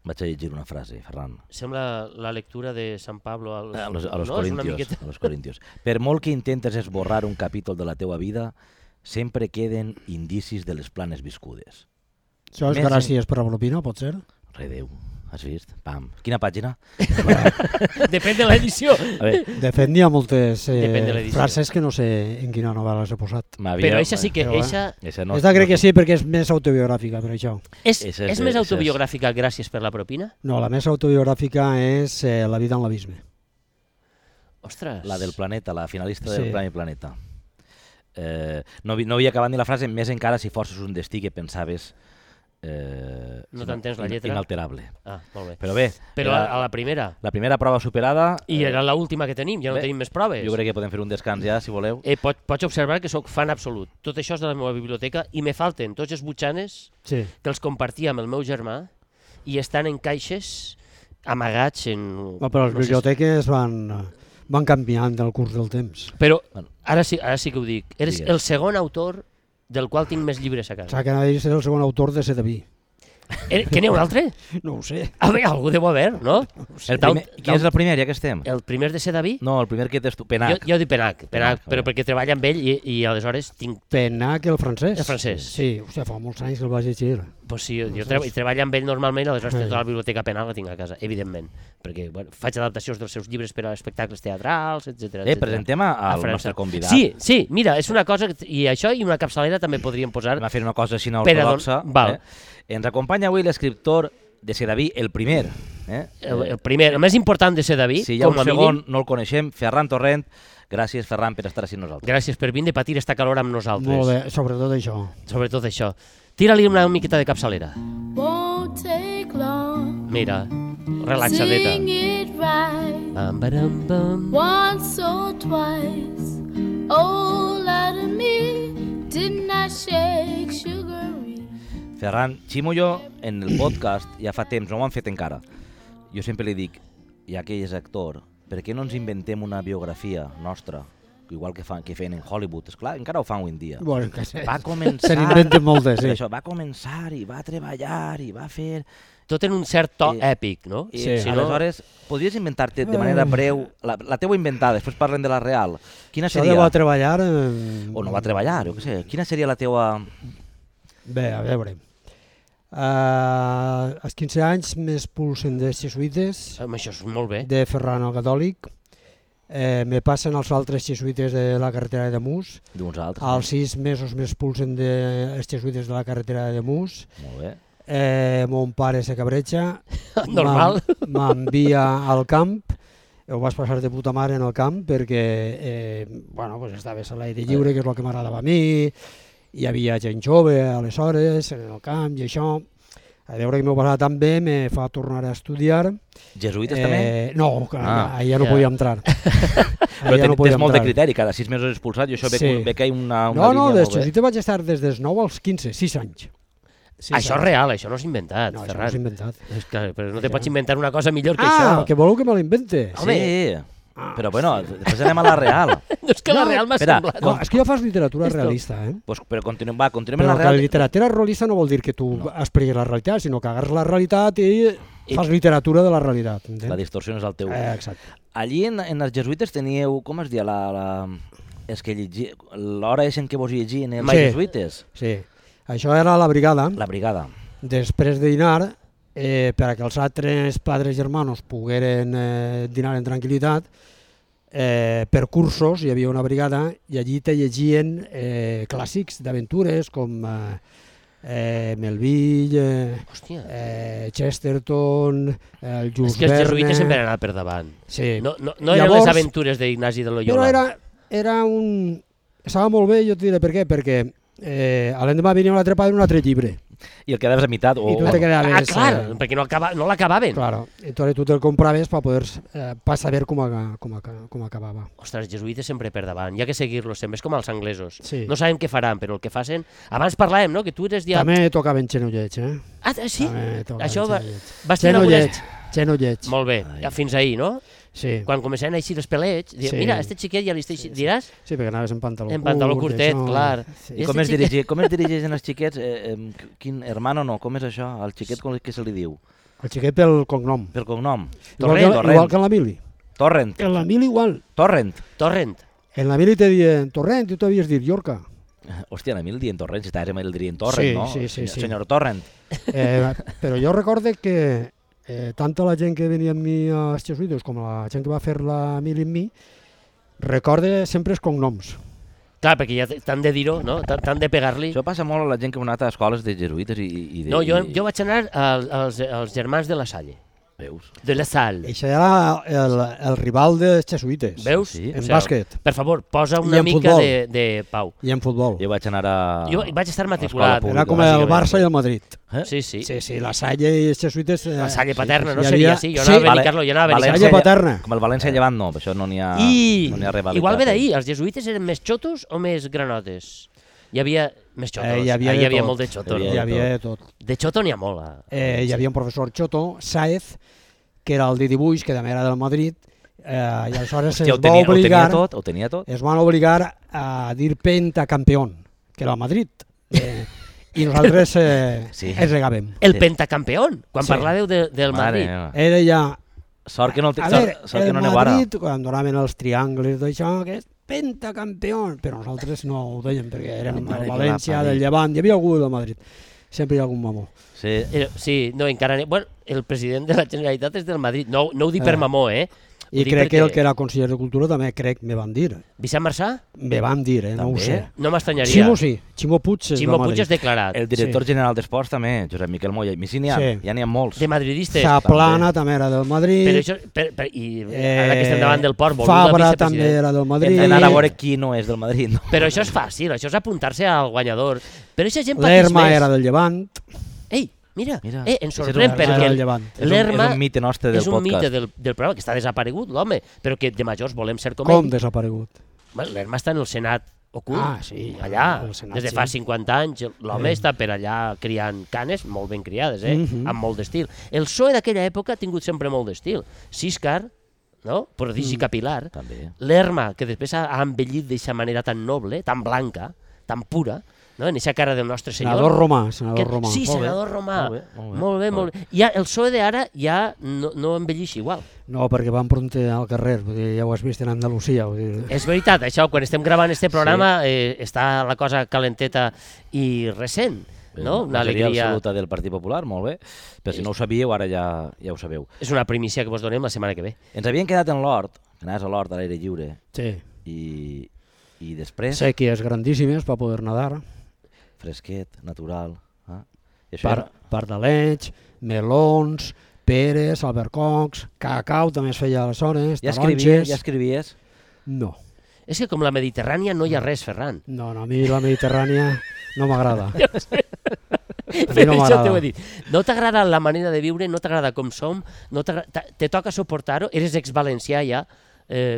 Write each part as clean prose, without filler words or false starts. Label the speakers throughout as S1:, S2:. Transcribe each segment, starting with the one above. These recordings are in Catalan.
S1: Vaig a llegir una frase, Ferran.
S2: Sembla la lectura de San Pablo
S1: A los Corintios. Per molt que intentes esborrar un capítol de la teua vida, sempre queden indicis de les planes viscudes.
S3: Això és gràcies per la propina, pot ser?
S1: Redeu, has vist? Pam. Quina pàgina?
S2: Depèn de l'edició.
S3: De fet, n'hi ha moltes
S2: Depèn de l'edició.
S3: frases que no sé en quina novel·la les he posat.
S2: Però eixa sí que...
S3: Esta crec que sí, perquè és més autobiogràfica, per això.
S2: És més autobiogràfica gràcies per la propina?
S3: No, la més autobiogràfica és La vida en l'abisme.
S2: Ostres.
S1: La del planeta, la finalista del Premi Planeta. No havia acabat ni la frase, més encara si forces un destí que pensaves...
S2: no t'entens la lletra?
S1: Inalterable.
S2: Ah, molt bé.
S1: Però bé...
S2: Però a la primera?
S1: La primera prova superada...
S2: I era l'última que tenim, ja no tenim més proves.
S1: Jo crec que podem fer un descans ja, si voleu.
S2: Pots observar que sóc fan absolut. Tot això és de la meva biblioteca i me falten tots els butxanes que els compartia amb el meu germà i estan en caixes amagats en...
S3: Però les biblioteques van canviant al curs del temps.
S2: Però ara sí que ho dic. Eres el segon autor del qual tinc més llibres a casa.
S3: O sigui, que anava a ser el segon autor de Sedaví.
S2: Que n'hi ha un altre?
S3: No ho sé.
S2: Algú deu haver, no?
S1: Quin és el primer, ja que estem?
S2: El primer de Sedaví?
S1: No, el primer que tens tu, Penac.
S2: Jo dic Penac, però perquè treballa amb ell i aleshores tinc...
S3: Penac, el francès?
S2: El francès.
S3: Sí, fa molts anys que el vaig llegir.
S2: Pues sí, jo treballo amb ell normalment, aleshores tota la biblioteca Penac la tinc a casa, evidentment, perquè faig adaptacions dels seus llibres per a espectacles teatrals, etc.
S1: Presentem al nostre convidat.
S2: Sí, mira, és una cosa, i això i una capçalera també podríem posar...
S1: Va fer una cosa així ortodoxa. Ens acompanya avui l'escriptor de Sedaví, el primer.
S2: El primer, el més important de Sedaví,
S1: si hi ha un segon no el coneixem, Ferran Torrent. Gràcies, Ferran, per estar així amb nosaltres.
S2: Gràcies per vindre a patir esta calor amb nosaltres.
S3: Molt bé, sobretot això.
S2: Sobretot això. Tira-li una miqueta de capçalera. Mira, relaxadeta.
S4: Once or twice, oh, let me, didn't I shake sugar?
S1: Ferran, Ximo i jo en el podcast ja fa temps, no ho han fet encara. Jo sempre li dic, ja que ell és actor, per què no ens inventem una biografia nostra, igual que feien en Hollywood? Esclar, encara ho fan avui en dia.
S3: Bueno,
S1: va començar...
S3: Se n'inventen moltes, sí.
S1: Això, va començar i va treballar i va fer...
S2: Tot en un cert to èpic, no?
S1: Sí. Aleshores, podries inventar-te de manera breu, la teua inventada, després parlem de la real. Quina seria...
S3: Això de va treballar...
S1: O no va treballar, jo què sé. Quina seria la teua...
S3: Bé, a veure... als 15 anys m'expulsen dels jesuïtes.
S2: Això és molt bé.
S3: De Ferran el Catòlic. Me passen els altres jesuïtes de la carretera de Mús.
S1: D'uns altres.
S3: Als 6 mesos m'expulsen dels jesuïtes de la carretera de Mús.
S1: Molt bé.
S3: Mon pare se cabreja.
S2: Normal.
S3: M'envia al camp. Ho vaig passar de puta mare en el camp perquè estaves a l'aire lliure, que és el que m'agradava a mi. Hi havia gent jove aleshores en el camp i això. A veure que m'ho passava tan bé, me fa tornar a estudiar.
S1: Jesuïtes també?
S3: No, allà no podia entrar.
S1: Però tens molt de criteri, cada 6 mesos expulsat i això ve que hi ha una línia molt bé.
S3: No, de jesuïtes vaig estar des dels 9 als 15, 6 anys.
S2: Això és real, això no és inventat,
S3: no,
S2: Ferran.
S3: No, és inventat.
S2: Però no te pots inventar una cosa millor que això.
S3: Que voleu que me l'invente?
S1: Sí, però bueno, després anem a la real.
S2: No, és que la real m'ha semblat.
S3: És que jo fas literatura realista,
S1: Però continuem en la real.
S3: Però la literatura realista no vol dir que tu expliquis la realitat, sinó que agarres la realitat i fas literatura de la realitat.
S1: La distorsió és el teu.
S3: Exacte.
S1: Allí en els jesuïtes teníeu, com es deia, és que l'hora és en què vos llegien els jesuïtes?
S3: Sí. Això era la brigada.
S1: La brigada.
S3: Després de dinar, per a que els altres padres germanos pogueren dinar en tranquil·litat, per cursos hi havia una brigada i allí te llegien clàssics d'aventures com Melville, Chesterton, el Jules Verne...
S2: És que els jesuïtes sempre han anat per davant.
S3: Sí.
S2: No eren les aventures d'Ignasi de Loyola.
S3: Però era un... Estava molt bé, jo et diré per què, perquè a l'endemà venia un altre padre un altre llibre.
S1: I el quedaves a meitat.
S3: I tu te quedaves...
S2: clar, perquè no l'acabaven.
S3: Claro, entonces tu te'l compraves per saber com acabava.
S2: Ostres, els jesuïtes sempre per davant, hi ha que seguir-los sempre, és com els anglesos.
S3: Sí.
S2: No sabem què faran, però el que facin... Abans parlàvem, no?, que tu eres...
S3: També tocaven xenollets,
S2: Ah, sí? Això vas
S3: tenir algunes... Xenollets.
S2: Molt bé, fins ahir, no?
S3: Sí.
S2: Quan començaven a eixir els pelets, mira, este xiquet ja li està eixint, diràs?
S3: Sí, perquè anaves en pantaló curt.
S2: En pantaló curtet, clar.
S1: I com es dirigeixen els xiquets? Quin hermano no? Com és això? El xiquet com que se li diu?
S3: El xiquet pel cognom.
S1: pel cognom.
S3: Igual que en la mili.
S1: Torrent.
S3: En la mili igual.
S1: Torrent.
S3: En la mili te dien Torrent, tu t'havies dit Llorca.
S1: Hòstia, en Emil dient Torrent, si estàs amb el dient Torrent,
S3: Sí,
S1: no?
S3: sí.
S1: Senyor Torrent.
S3: Però jo recorde que tant la gent que venia amb mi als jesuïtes com la gent que va fer la mili amb mi, recorde sempre els cognoms.
S2: Clar, perquè ja t'han de dir-ho, no? T'han de pegar-li.
S1: Això passa molt a la gent que ha anat a escoles de jesuïtes i de...
S2: No, jo vaig anar als germans de la Salle.
S1: Veus?
S2: De la Salle.
S3: Això era el rival dels jesuïtes.
S2: Veus?
S1: Sí.
S3: En bàsquet.
S2: Per favor, posa
S3: I
S2: una
S3: en
S2: mica
S3: futbol.
S2: de pau.
S3: I en futbol.
S1: Jo vaig anar a...
S2: Jo vaig estar matriculat.
S1: pública,
S3: Era com el Barça i el Madrid.
S2: Sí, sí.
S3: Sí, la Salle i els jesuïtes...
S2: La Salle paterna, no
S3: hi
S2: seria
S3: havia-
S2: així. Jo anava a
S1: Vale-
S2: Benicarló, jo anava a
S1: València
S2: Benicarló.
S3: Salle paterna.
S1: Com el València Llevant, no, per això no n'hi ha...
S2: I
S1: no n'hi ha rivalitat.
S2: igual ve d'ahir, els jesuïtes eren més xotos o més granotes? Hi havia més xotos,
S3: hi havia
S2: hi
S3: de
S2: havia
S3: tot.
S2: molt de xoto.
S1: Hi
S3: Hi havia de tot.
S2: De xoto n'hi ha molt.
S3: Hi havia un professor xoto, Sáez, que era el de dibuix, que també era del Madrid, i aleshores
S1: Hòstia, ho tenia tot?
S3: es van obligar a dir pentacampeón, que era el Madrid. I nosaltres ens regàvem.
S2: El pentacampeón, quan
S3: Sí.
S2: parlàveu del Madrid.
S3: Era ja...
S1: Sort que no,
S3: A veure,
S1: sort que
S3: el
S1: no aneu ara.
S3: Madrid, quan donaven els triangles d'això, que és pentacampeón, però nosaltres no ho dèiem, perquè érem
S1: Mare
S3: del
S1: que
S3: València,
S1: la pari.
S3: del Llevant, hi havia algú del Madrid. Sempre hi ha algun mamó.
S1: Sí.
S2: Sí, no, encara... Bueno, el president de la Generalitat és del Madrid. No ho dic per mamó, Ho
S3: I
S2: dic
S3: crec que
S2: perquè-
S3: el que era conseller de Cultura també me van dir.
S2: Vicent Marçà?
S3: Me van dir, no ho
S1: També?
S3: sé.
S2: No m'estranyaria.
S3: Ximo sí, Ximo Puig és
S2: Ximo
S3: de
S2: Puig
S3: Madrid.
S2: és declarat.
S1: El director general d'Esports també, Josep Miquel Moya. I sí, ja n'hi ha molts.
S2: De madridistes.
S3: Zaplana també era del Madrid.
S2: Però això, i ara que estem davant del port,
S3: Fabra també era del Madrid.
S1: Hem d'anar a veure qui no és del Madrid. No?
S2: Però això és fàcil, això és apuntar-se al guanyador. Però aquesta gent pateix
S3: L'Erma
S2: més.
S3: era del Llevant.
S2: Ei, mira,
S1: Mira,
S2: ens
S1: això és
S2: sorprèn
S1: un-
S2: perquè
S3: del Llevant.
S2: l'Erma
S1: És un mite nostre del
S2: és un
S1: podcast.
S2: mite del programa, que està desaparegut, l'home, però que de majors volem ser com
S3: Com
S2: ell.
S3: desaparegut?
S2: Bueno, l'Erma està en el Senat ocult,
S3: Ah, sí,
S2: allà,
S3: al Senat,
S2: des de
S3: sí.
S2: fa 50 anys, l'home
S3: Sí.
S2: està per allà criant canes, molt ben criades,
S3: Mhm.
S2: amb molt d'estil. El PSOE d'aquella època ha tingut sempre molt d'estil. Siscar, no? Prodigi capilar,
S1: També.
S2: l'Erma, que després ha envellit d'aquesta manera tan noble, tan blanca, tan pura, no? En aquesta cara del nostre senyor.
S3: Senador Romà, senador Romà.
S2: Sí,
S1: Molt bé,
S2: senador Romà.
S1: molt bé.
S2: Molt bé. Ja, el PSOE d'ara ja no envellix igual.
S3: No, perquè van pronte al carrer, vull dir, ja ho has vist en Andalusia. Vull dir.
S2: És veritat, això, quan estem gravant este programa està la cosa calenteta i recent, no? Una
S1: Majoria
S2: alegria.
S1: absoluta del Partit Popular, molt bé. Però si no ho sabíeu, ara ja ho sabeu.
S2: És una primícia que vos donem la setmana que ve.
S1: Ens havien quedat en l'hort, que anaves a l'hort a l'aire lliure,
S3: Sí.
S1: i després
S3: Sèquies grandíssimes per poder nedar.
S1: fresquet, natural. I això era...
S3: Pardalets, melons, peres, albercocs, cacau també es feia aleshores,
S1: Ja
S3: taronges...
S1: escrivies?
S3: No,
S2: És que com la Mediterrània no hi ha res, Ferran.
S3: no, a mi la Mediterrània no m'agrada.
S2: Per
S3: no
S2: això
S3: m'agrada.
S2: t'ho he dit. No t'agrada la manera de viure, no t'agrada com som, te toca suportar-ho, eres ex-valencià ja.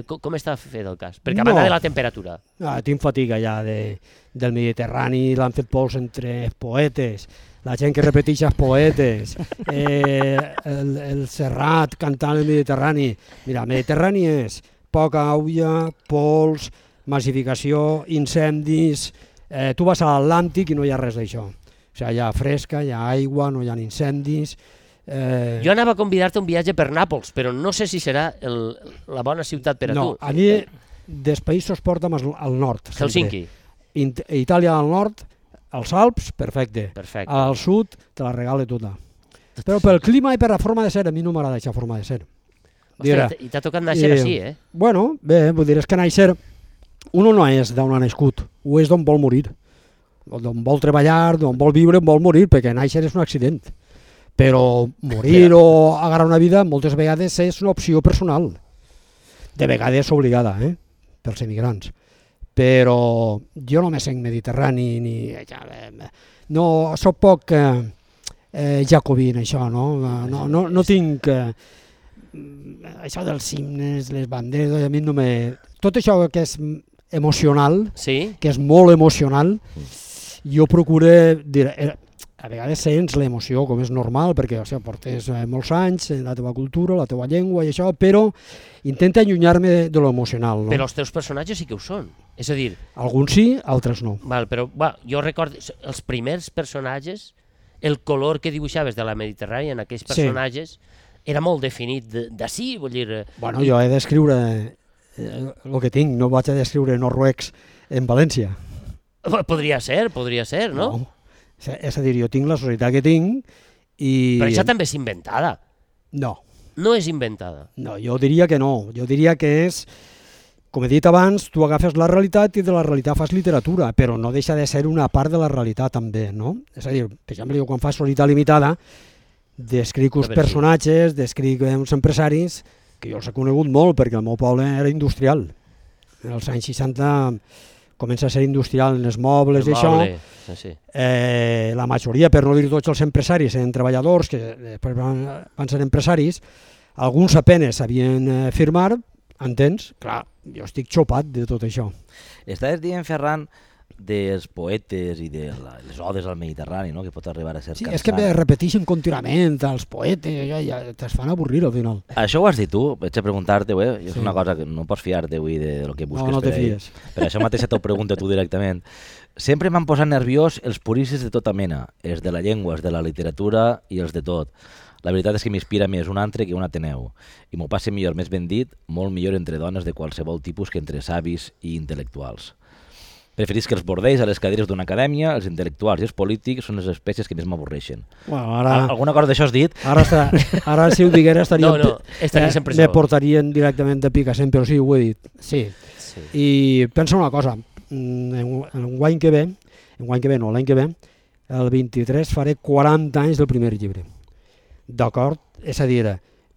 S2: Com està fet el cas? Perquè a banda
S3: No.
S2: de la temperatura.
S3: Tinc fatiga ja del Mediterrani, l'han fet pols entre els poetes, la gent que repeteix els poetes, el Serrat cantant el Mediterrani. Mira, el Mediterrani és poca aigua, pols, massificació, incendis... Tu vas a l'Atlàntic i no hi ha res d'això. O sigui, hi ha fresca, hi ha aigua, no hi ha incendis...
S2: Jo anava a convidar-te a un viatge per Nàpols, però no sé si serà la bona ciutat per a
S3: no,
S2: tu.
S3: a mi dels països porta'm al nord. sempre.
S2: Helsinki.
S3: Itàlia al nord, als Alps, perfecte.
S2: Perfecte.
S3: Al sud te la regale tota. Però pel clima i per la forma de ser, a mi no m'agrada aquesta forma de ser. Dirà,
S2: Ostres, i t'ha tocat néixer així, eh?
S3: Bueno, bé, vull dir, és que néixer, uno no és d'on ha nascut, ho és d'on vol morir. D'on vol treballar, d'on vol viure, on vol morir, perquè néixer és un accident. Però morir o agarrar una vida moltes vegades és una opció personal. De vegades obligada, pels emigrants. Però jo no me sent mediterrani ni... No, soc poc jacobí en això, no? No tinc... això dels himnes, les banderes, a mi no me... Tot això que és emocional,
S2: Sí?
S3: que és molt emocional, jo procuro dir... A vegades sents l'emoció, com és normal, perquè o sigui, portes molts anys en la teva cultura, la teva llengua i això, però intenta allunyar-me de lo emocional. No?
S2: Però els teus personatges sí que ho són. És a dir,
S3: Alguns sí, altres no.
S2: però jo recordo, els primers personatges el color que dibuixaves de la Mediterrània en aquells personatges era molt definit d'ací, vull dir...
S3: Bueno, jo he d'escriure el que tinc, no vaig a descriure noruecs en València.
S2: Podria ser, no?
S3: És a dir, jo tinc la societat que tinc i...
S2: Però això també és inventada.
S3: No.
S2: No és inventada.
S3: No, jo diria que no. Jo diria que és, com he dit abans, tu agafes la realitat i de la realitat fas literatura, però no deixa de ser una part de la realitat també, no? És a dir, per exemple, jo quan faig Societat Limitada, descric uns personatges, descric uns empresaris, que jo els he conegut molt perquè el meu poble era industrial. En els anys 60 comença a ser industrial en els mobles i això. La majoria, per no dir tots els empresaris, eren treballadors que després van ser empresaris. Alguns apenes sabien firmar, entens? Clar, jo estic xopat de tot això.
S1: Estaves dient, Ferran, dels poetes i de les odes al Mediterrani, no? Que pot arribar a ser cansant.
S3: És que me repeteixen contínuament els poetes, ja te'ls fan avorrir al final.
S1: Això ho has dit tu, vaig a preguntar-te, és una cosa que no pots fiar-te avui de lo que busques
S3: no
S1: per
S3: te fies.
S1: Per això mateix t'ho pregunto tu directament. Sempre m'han posat nerviós els puristes de tota mena, els de la llengua, els de la literatura i els de tot. La veritat és que m'inspira més un altre que un Ateneu, i m'ho passe millor, més ben dit, molt millor entre dones de qualsevol tipus que entre savis i intel·lectuals. Preferís que els bordells a les cadires d'una acadèmia, els intel·lectuals i els polítics són les espècies que més m'avorreixen.
S3: Bueno,
S1: alguna cosa d'això has dit?
S3: Ara si ho diguera
S2: estaria
S3: me portarien directament de Picassent, però sí, ho he dit. Sí. I pensa una cosa, l'any que ve, el 23 faré 40 anys del primer llibre. D'acord? És a dir,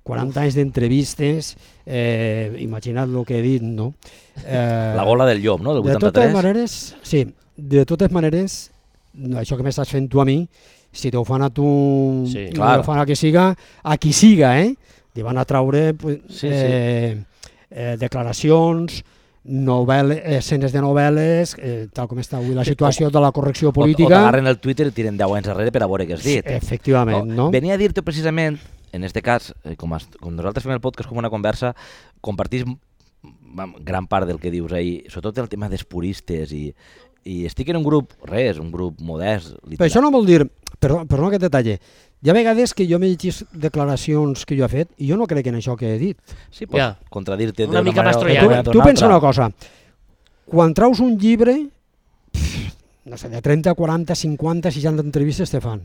S3: 40 anys d'entrevistes, imagina't el que he dit, no?
S1: La gola del llop, no? Del 83?
S3: De totes maneres, sí. De totes maneres, això que m'estàs fent tu a mi, si t'ho fan a tu, ho fan a qui siga, li van a traure declaracions, escenes de novel·les, tal com està avui la situació de la correcció política.
S1: O t'agarren el Twitter i tiren 10 anys enrere per a veure què has dit.
S3: Efectivament, no?
S1: Venia a dir-te precisament, en aquest cas, com nosaltres fem el podcast com una conversa, compartís gran part del que dius ahir, sobretot el tema dels puristes, i estic en un grup modest.
S3: Però això no vol dir, perdona que et detalle, hi ha vegades que jo m'he llegit declaracions que jo he fet i jo no crec en això que he dit.
S1: Sí, pots contradir-te
S2: una mica mastroiana.
S3: Tu pensa una cosa, quan traus un llibre, no sé, de 30, 40, 50, 60 entrevistes te fan.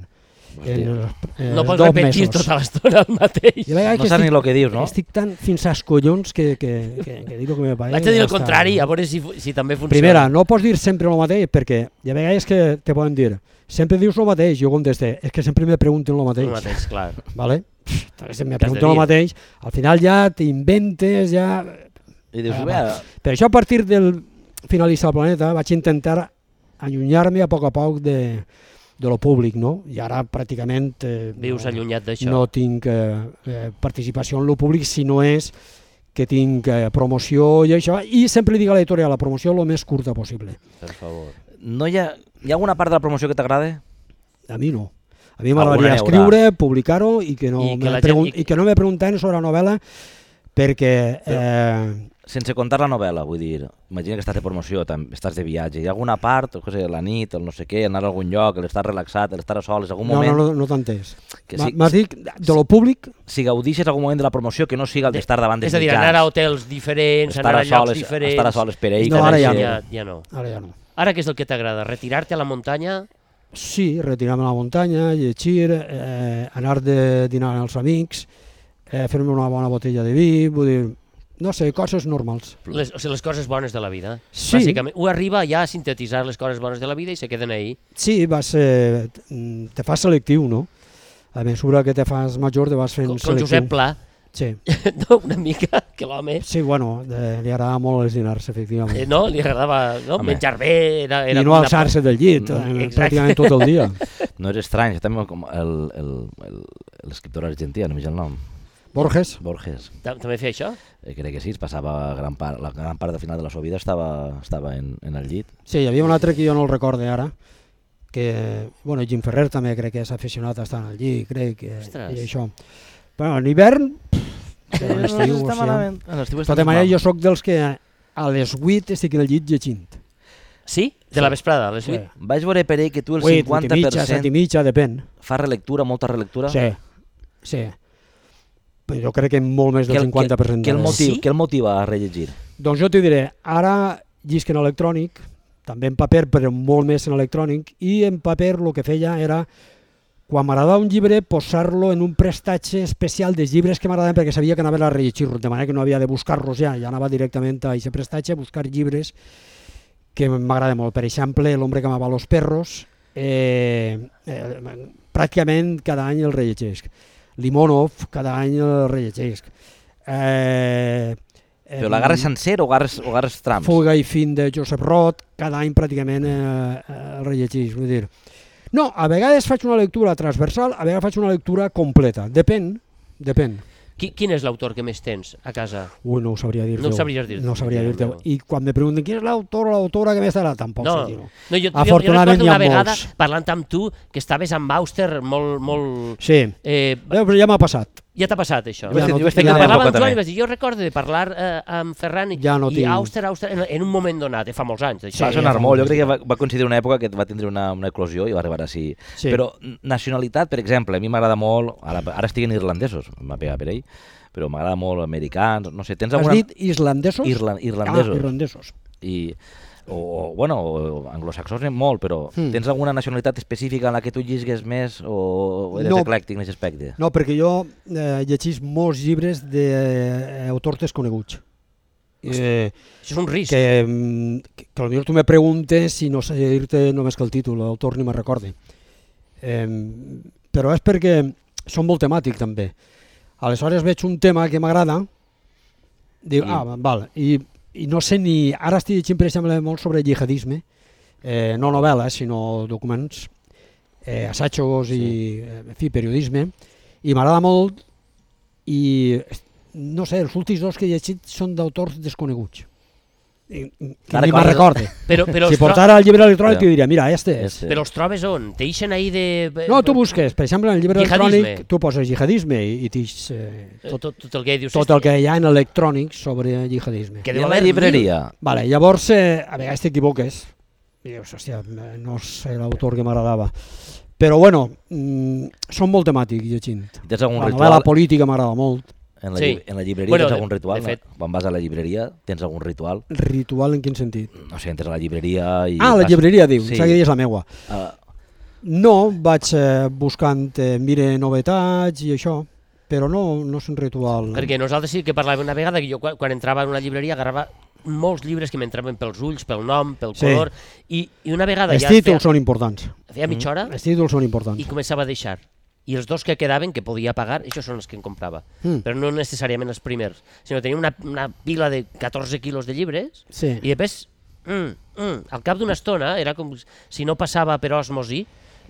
S2: No pots repetir tota l'estona el mateix.
S1: No saps ni el que dius, no?
S3: Estic tan fins als collons que dic el que me pareix.
S2: Vaig a dir el contrari, a veure si també funciona.
S3: Primera, no pots dir sempre el mateix, perquè hi ha vegades que te poden dir sempre dius el mateix, jo conteste, és que sempre me pregunten el mateix.
S2: El mateix, clar.
S3: Vale? Si me pregunten el mateix, al final ja t'inventes, ja...
S1: I dius,
S3: per això a partir del finalista del planeta vaig intentar allunyar-me a poc de lo públic, no? I ara pràcticament
S2: vius allunyat d'això.
S3: No tinc participació en lo públic, si no és que tinc promoció i això, i sempre dic a l'editorial, la promoció el més curta possible.
S1: Per favor. No hi ha alguna part de la promoció que t'agrade?
S3: A mi no. A mi m'agradaria escriure, publicar-ho i que no me pregunten sobre la novel·la perquè...
S1: Sense contar la novel·la, vull dir, imagina que estàs de promoció, estàs de viatge, hi ha alguna part, la nit, el no sé què, anar a algun lloc, l'estar relaxat, l'estar a soles, algun moment...
S3: No t'ho entès. M'has dit, de lo públic...
S1: Si gaudixes algun moment de la promoció que no siga el d'estar davant dels mitjans.
S2: És a dir, anar a hotels diferents, anar a llocs diferents...
S1: Estar a soles per ell...
S3: No, ara ja
S2: no.
S3: Ara ja no.
S2: Ara què és el que t'agrada? Retirar-te a la muntanya?
S3: Sí, retirar-me a la muntanya, llegir, anar de dinar als amics, fer-me una bona botella de vi, vull dir... No sé, coses normals.
S2: Les coses bones de la vida.
S3: Sí.
S2: Bàsicament, ho arriba ja a sintetitzar les coses bones de la vida i se queden ahí.
S3: Sí, te fas selectiu, no? A mesura que te fas major te vas fent selectiu.
S2: Com Josep Pla.
S3: Sí.
S2: No, una mica, que l'home...
S3: Sí, bueno, li agradava molt els dinars, efectivament.
S2: No, li agradava menjar bé...
S3: I no alçar-se del llit, pràcticament tot el dia.
S1: No és estrany, també com l'escriptor argentí, no m'hi el nom.
S3: Borges.
S2: També feia això?
S1: Crec que sí, es passava la gran part del final de la seva vida estava en el llit.
S3: Sí, hi havia un altre que jo no el recorde ara, que, bueno, Jim Ferrer també crec que és aficionat a estar en el llit, crec, i això. Bueno, en hivern, en l'estiu, de tota manera jo soc dels que a les 8 estic en el llit llegint.
S2: Sí? De la vesprada, a les 8?
S1: Vaig veure per ell que tu el
S3: 8,
S1: 50%
S3: 8 i mitja, 7 i mitja, depèn.
S1: fa relectura, molta relectura.
S3: Sí. Però jo crec que molt més del 50%.
S1: Què el motiva a rellegir?
S3: Doncs jo t'hi diré, ara llisc en electrònic, també en paper, però molt més en electrònic, i en paper el que feia era, quan m'agradava un llibre, posar-lo en un prestatge especial dels llibres que m'agradaven perquè sabia que anava a rellegir-los, de manera que no havia de buscar-los ja anava directament a aquest prestatge a buscar llibres que m'agrada molt. Per exemple, L'hombre que amava los perros, pràcticament cada any el rellegesc. Limonov, cada any el rellegesc.
S1: Però l'agarres sencer o agarres trams?
S3: Fuga i fin de Joseph Roth, cada any pràcticament el rellegeix. Vull dir, no, a vegades faig una lectura transversal, a vegades faig una lectura completa. Depèn.
S2: Quin és l'autor que més tens a casa?
S3: No ho sabria dir-te.
S2: No ho sabries dir-te.
S3: No ho sabria dir-te. I quan me pregunten quin és l'autor o l'autora que més t'agrada, tampoc sé dir-ho.
S2: No, jo recordo una vegada parlant amb tu que estaves amb Auster molt...
S3: Sí, però ja m'ha passat.
S2: Ja t'ha passat això?
S1: Parlava
S2: amb Joan i vaig dir, jo recordo de parlar amb Ferran i Auster en un moment donat, fa molts anys.
S1: Va sonar molt, jo crec que va coincidir una època que va tindre una eclosió i va arribar així. Però nacionalitat, per exemple, a mi m'agrada molt, ara estiguen irlandesos, m'ha pegat per ell, però m'agrada molt americans, no sé, tens alguna...
S3: Has dit islandesos?
S1: Irlandesos.
S3: Irlandesos.
S1: O anglosaxons molt, però tens alguna nacionalitat específica en la que tu llisgues més o eres eclèctic en aquest aspecte?
S3: No, perquè jo llegís molts llibres d'autors desconeguts.
S2: Això és un risc.
S3: Que potser tu me preguntes si no sé dir-te només que el títol, l'autor ni me'n recorde. Però és perquè són molt temàtic també. Aleshores veig un tema que m'agrada, dic, val, i no sé ni... Ara estic llegint, per exemple, molt sobre jihadisme, no novel·les, sinó documents, assajos i periodisme, i m'agrada molt, i no sé, els últims dos que he llegit són d'autors desconeguts. Que ni me'n recorde. Si portara el llibre electrònic t'ho diria, mira, este és.
S2: Però els trobes on? T'eixen ahí de...
S3: No, tu busques, per exemple, en el llibre electrònic tu poses jihadisme i t'ix... Tot el que hi ha en electrònic sobre jihadisme.
S1: I a la llibreria?
S3: Vale, llavors, a vegades t'equivoques. I dius, hòstia, no sé l'autor que m'agradava. Però bueno, són molt temàtics llegint.
S1: La
S3: novel·la política m'agrada molt.
S1: En la llibreria tens algun ritual? Quan vas a la llibreria tens algun ritual?
S3: Ritual en quin sentit?
S1: No sé, entres a la llibreria i...
S3: la llibreria, diu, que és la meua. No, vaig buscant, mire novetats i això, però no és un ritual.
S2: Perquè nosaltres sí que parlàvem una vegada que jo quan entrava en una llibreria agarrava molts llibres que m'entraven pels ulls, pel nom, pel color, i una vegada ja...
S3: Els títols són importants.
S2: Feia mitja hora?
S3: Els títols són importants.
S2: I començava a deixar. I els dos que quedaven, que podia pagar, això són els que em comprava. Però no necessàriament els primers, sinó tenia una pila de 14 quilos de llibres i després, al cap d'una estona, era com si no passava per osmosi,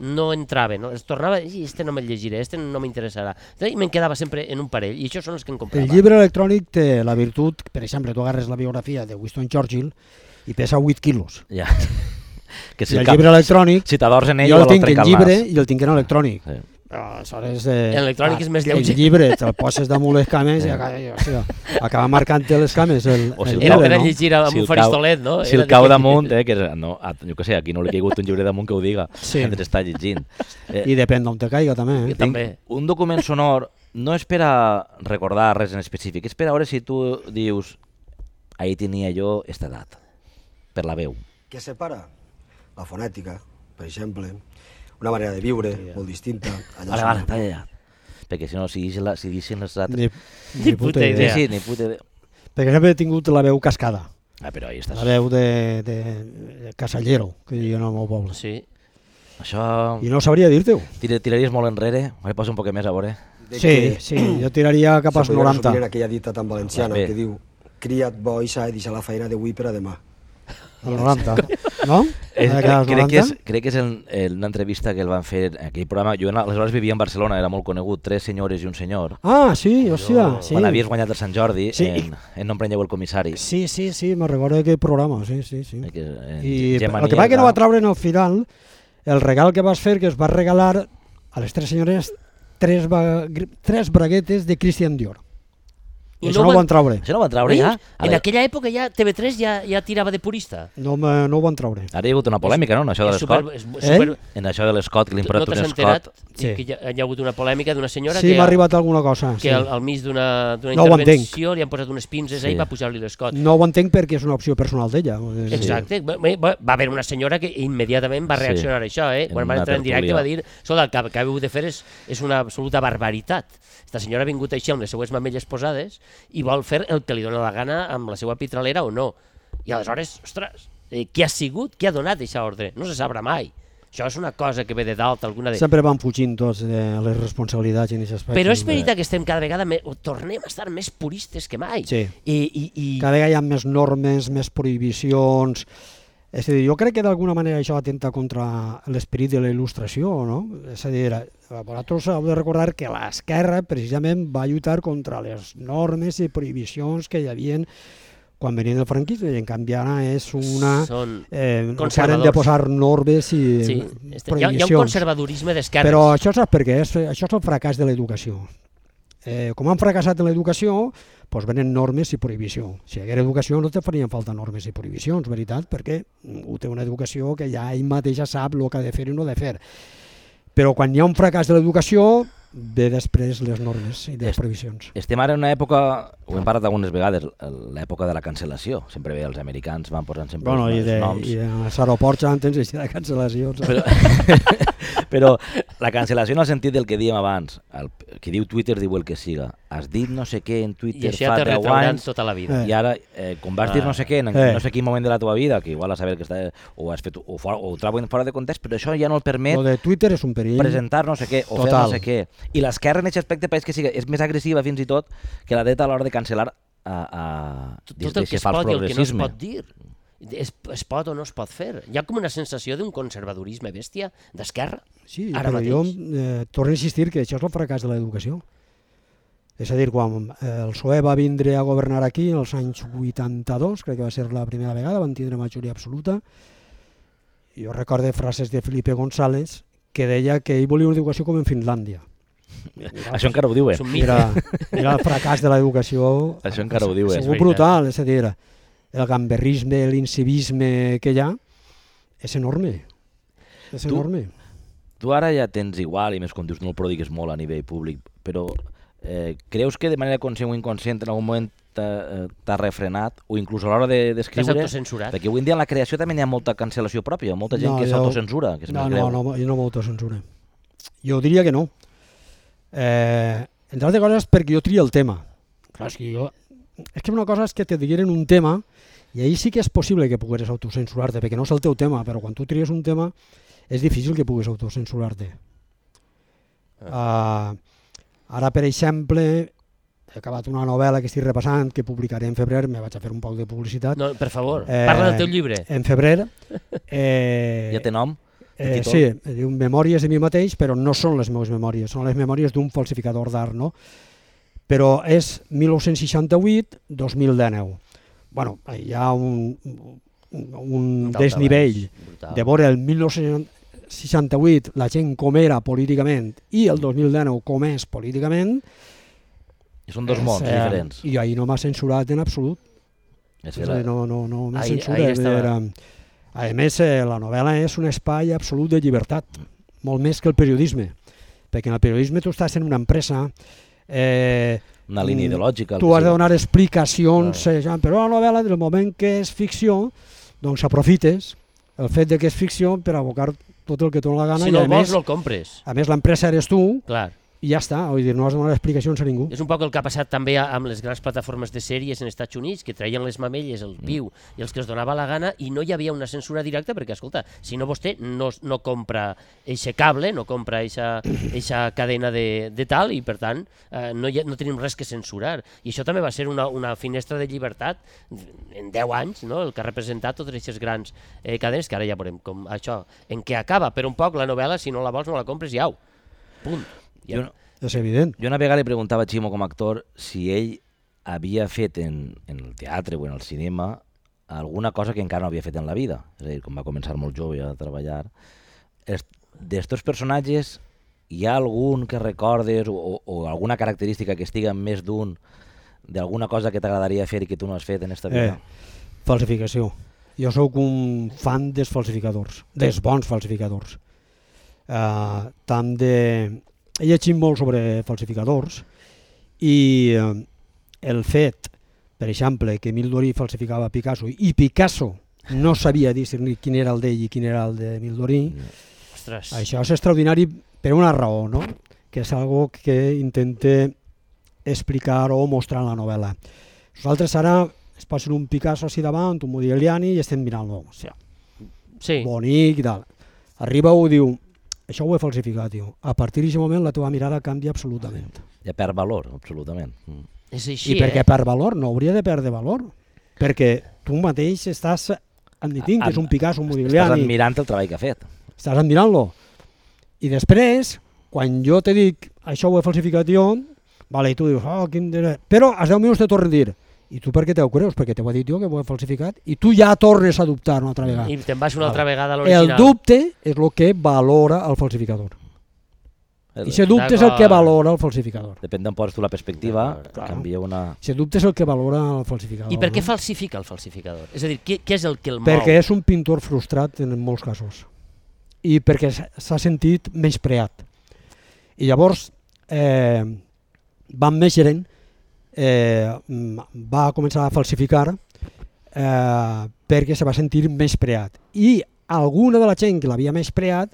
S2: no entrava, es tornava, i este no me'l llegiré, este no m'interessarà. I me'n quedava sempre en un parell, i això són els que em comprava.
S3: El llibre electrònic té la virtut, per exemple, tu agarres la biografia de Winston Churchill i pesa 8 quilos.
S1: Ja.
S3: I el llibre electrònic,
S1: si t'adors en ell,
S3: jo el tinc en llibre i el tinc en electrònic. Aleshores,
S2: l'electrònic és més lleuger.
S3: El llibre te'l poses damunt les cames i acaba marcant-te les cames el llibre.
S2: Era per a llegir amb un faristolet, no?
S1: Si el cau damunt, jo què sé, aquí no li ha caigut un llibre damunt que ho diga, mentre està llegint.
S3: I depèn d'on te caiga també.
S1: Un document sonor no és per a recordar res en específic, és per a veure si tu dius ahir tenia jo esta edat, per la veu.
S5: Què separa? La fonètica, per exemple, una manera de viure molt distinta.
S1: Vale, talla. Perquè si no, si deixen les altres...
S3: Ni puta idea.
S1: Sí, ni puta idea.
S3: Perquè sempre he tingut la veu cascada.
S1: Però ahí estàs.
S3: La veu de casallero, que diuen al meu poble.
S2: Sí.
S1: Això...
S3: I no sabria dir-te-ho.
S1: Tiraries molt enrere? Me poso un poc més a veure.
S3: Sí, jo tiraria cap als 90.
S5: En aquella dita tan valenciana que diu cria't bo i s'ha de deixar la feina d'avui per a demà.
S3: El 90, no?
S1: Crec que és una entrevista que el van fer en aquell programa. Jo aleshores vivia en Barcelona, era molt conegut, 3 senyores i un senyor.
S3: Sí, hòstia.
S1: Quan havies guanyat el Sant Jordi, en No em preneu el comissari.
S3: Sí, me'n recordo d'aquell programa, sí. I el que va que no va treure en el final, el regal que vas fer, que es va regalar a les 3 senyores 3 braguetes de Christian Dior. I això no ho van treure.
S1: Això no ho van treure ja?
S2: En aquella època ja TV3 ja tirava de purista.
S3: No ho van treure.
S1: Ara hi ha hagut una polèmica, no?, en això de l'Scott. En això de l'Scott, que li han posat un Scott.
S2: Sí, que hi ha hagut una polèmica d'una senyora
S3: que m'ha arribat alguna cosa.
S2: Que al mig d'una intervenció li han posat unes pinces i va pujar-li l'Scott.
S3: No ho entenc perquè és una opció personal d'ella.
S2: Exacte. Va haver una senyora que immediatament va reaccionar a això. Quan va entrar en directe va dir: escolta, el que acabeu de fer és una absoluta barbaritat. Esta senyora ha vingut així amb les seues mamelles posades i vol fer el que li dona la gana amb la seva pitralera o no. I aleshores, ostres, qui ha sigut? Qui ha donat aquesta ordre? No se sabrà mai. Això és una cosa que ve de dalt.
S3: Sempre van fugint tots de les responsabilitats en aquest aspecte.
S2: Però és veritat que estem cada vegada tornem a estar més puristes que mai.
S3: Sí. Cada vegada hi ha més normes, més prohibicions. És a dir, jo crec que d'alguna manera això atenta contra l'esperit de la il·lustració, no? És a dir, vosaltres heu de recordar que l'esquerra precisament va lluitar contra les normes i prohibicions que hi havia quan venien del franquisme, i en canvi ara és una...
S2: Són
S3: de posar normes i prohibicions.
S2: Hi ha un conservadorisme d'esquerres.
S3: Però això saps per què? Això és el fracàs de l'educació. Com han fracassat en l'educació, doncs venen normes i prohibició. Si hi hagués educació no te farien falta normes i prohibicions, veritat, perquè ho té una educació que ja ell mateixa sap el que ha de fer i no ha de fer. Però quan hi ha un fracàs de l'educació, ve després les normes i les prohibicions.
S1: Estem ara en una època, ho hem parlat algunes vegades, l'època de la cancel·lació. Sempre els americans van posant sempre els noms.
S3: I als aeroports ja tens així de cancel·lacions.
S1: Però la cancel·lació en el sentit del que dèiem abans, el que diu Twitter diu el que siga. Has dit no sé què en Twitter fa 10 anys
S2: tota la vida.
S1: I ara, com vas dir no sé què en no sé quin moment de la teva vida, que igual a saber que està, o has fet o ho troben fora de context, però això ja no el permet
S3: de Twitter és un perill.
S1: Presentar no sé què o fer no sé què. I l'esquerra en aquest aspecte pareix que és més agressiva fins i tot que la dreta a l'hora de cancel·lar
S2: tot el que es pot i el que no es pot dir. Es pot o no es pot fer. Hi ha com una sensació d'un conservadorisme bèstia d'esquerra.
S3: Sí, però jo torno a insistir que això és el fracàs de l'educació. És a dir, quan el PSOE va vindre a governar aquí als anys 82, crec que va ser la primera vegada, van tindre majoria absoluta, jo recordo frases de Felipe González que deia que ell volia una educació com en Finlàndia.
S1: Això encara ho diu,
S3: Era el fracàs de l'educació.
S1: Això encara ho diu,
S3: segur brutal, és a dir, el gamberrisme, l'incivisme que hi ha és enorme. És enorme.
S1: Tu ara ja tens igual, i més com dius, no el prodigues molt a nivell públic, però creus que de manera conscient o inconscient en algun moment t'ha refrenat, o inclús a l'hora d'escriure?
S2: T'has autocensurat?
S1: Perquè avui en dia en la creació també hi ha molta cancel·lació pròpia, molta gent que s'autocensura.
S3: No, jo no m'autocensuro. Jo diria que no. Entre altres coses perquè jo trio el tema. Clar, és que una cosa és que te digueren un tema i ahir sí que és possible que pugueres autocensurar-te, perquè no és el teu tema, però quan tu tries un tema és difícil que puguis autocensurar-te. Ara, per exemple, he acabat una novel·la que estic repassant, que publicaré en febrer, me vaig a fer un poc de publicitat.
S2: No, per favor, parla del teu llibre.
S3: En febrer.
S1: Ja té nom?
S3: Sí, diu Memòries de mi mateix, però no són les meves memòries, són les memòries d'un falsificador d'art, no? Però és 1968-2019. Bueno, hi ha un desnivell de veure el 1968 la gent com era políticament i el 2019 com és políticament.
S1: I són dos mons diferents.
S3: I ahir no m'ha censurat en absolut. No m'ha censurat. A més, la novel·la és un espai absolut de llibertat, molt més que el periodisme, perquè en el periodisme tu estàs en una empresa,
S1: una línia ideològica.
S3: Tu has de donar explicacions, però la novel·la, del moment que és ficció, doncs aprofites el fet de que és ficció per abocar tot el que tu la gana.
S2: Si no el vols, no el compres.
S3: A més, l'empresa eres tu.
S2: Clar.
S3: I ja està, vull dir, no has de donar explicacions a ningú.
S2: És un poc el que ha passat també amb les grans plataformes de sèries en Estats Units, que traien les mamelles, el viu i els que els donava la gana, i no hi havia una censura directa perquè, escolta, si no vostè no compra eixe cable, no compra eixa cadena de tal, i per tant no tenim res que censurar. I això també va ser una finestra de llibertat en 10 anys, no? El que ha representat totes aquestes grans cadenes, que ara ja veurem com això, en què acaba, però un poc la novel·la, si no la vols no la compres i au, punt.
S3: És evident.
S1: Jo una vegada li preguntava a Ximo com a actor si ell havia fet en el teatre o en el cinema alguna cosa que encara no havia fet en la vida. És a dir, com va començar molt jove a treballar. D'estos personatges, hi ha algun que recordes o alguna característica que estiga en més d'un d'alguna cosa que t'agradaria fer i que tu no has fet en esta vida?
S3: Falsificació. Jo sóc un fan dels falsificadors, dels bons falsificadors. He llegit molt sobre falsificadors i el fet, per exemple, que Emile Dorí falsificava Picasso i Picasso no sabia discernir quin era el d'ell i quin era el de Emile Dorí, això és extraordinari per una raó, no? Que és algo que intente explicar o mostrar en la novel·la. Nosaltres ara es posen un Picasso així davant, un Modigliani, i estem mirant-lo. O sigui, bonic i tal. Arriba i diu, això ho he falsificat, tio. A partir d'aquest moment la teva mirada canvia absolutament.
S1: Ja perd valor, absolutament.
S2: És així,
S3: I perquè perd valor, no hauria de perdre valor. Perquè tu mateix estàs admitint que és un Picasso, un Modigliani.
S1: Estàs admirant el treball que ha fet.
S3: Estàs admirant-lo. I després, quan jo te dic, això ho he falsificat jo, vale, i tu dius, però als 10 minuts te torno a dir, i tu per què t'ho creus? Perquè t'ho he dit jo que ho he falsificat, i tu ja tornes a dubtar una altra vegada.
S2: I te'n vas una altra vegada a l'original.
S3: El dubte és el que valora el falsificador. I aquest dubte és el que valora el falsificador.
S1: Depèn d'on poses tu la perspectiva, canvia una...
S3: Aquest dubte és el que valora el falsificador.
S2: I per què falsifica el falsificador? És a dir, què és el que el mou?
S3: Perquè és un pintor frustrat en molts casos. I perquè s'ha sentit menyspreat. I llavors, Van Meegeren va començar a falsificar perquè se va sentir menyspreat. I alguna de la gent que l'havia menyspreat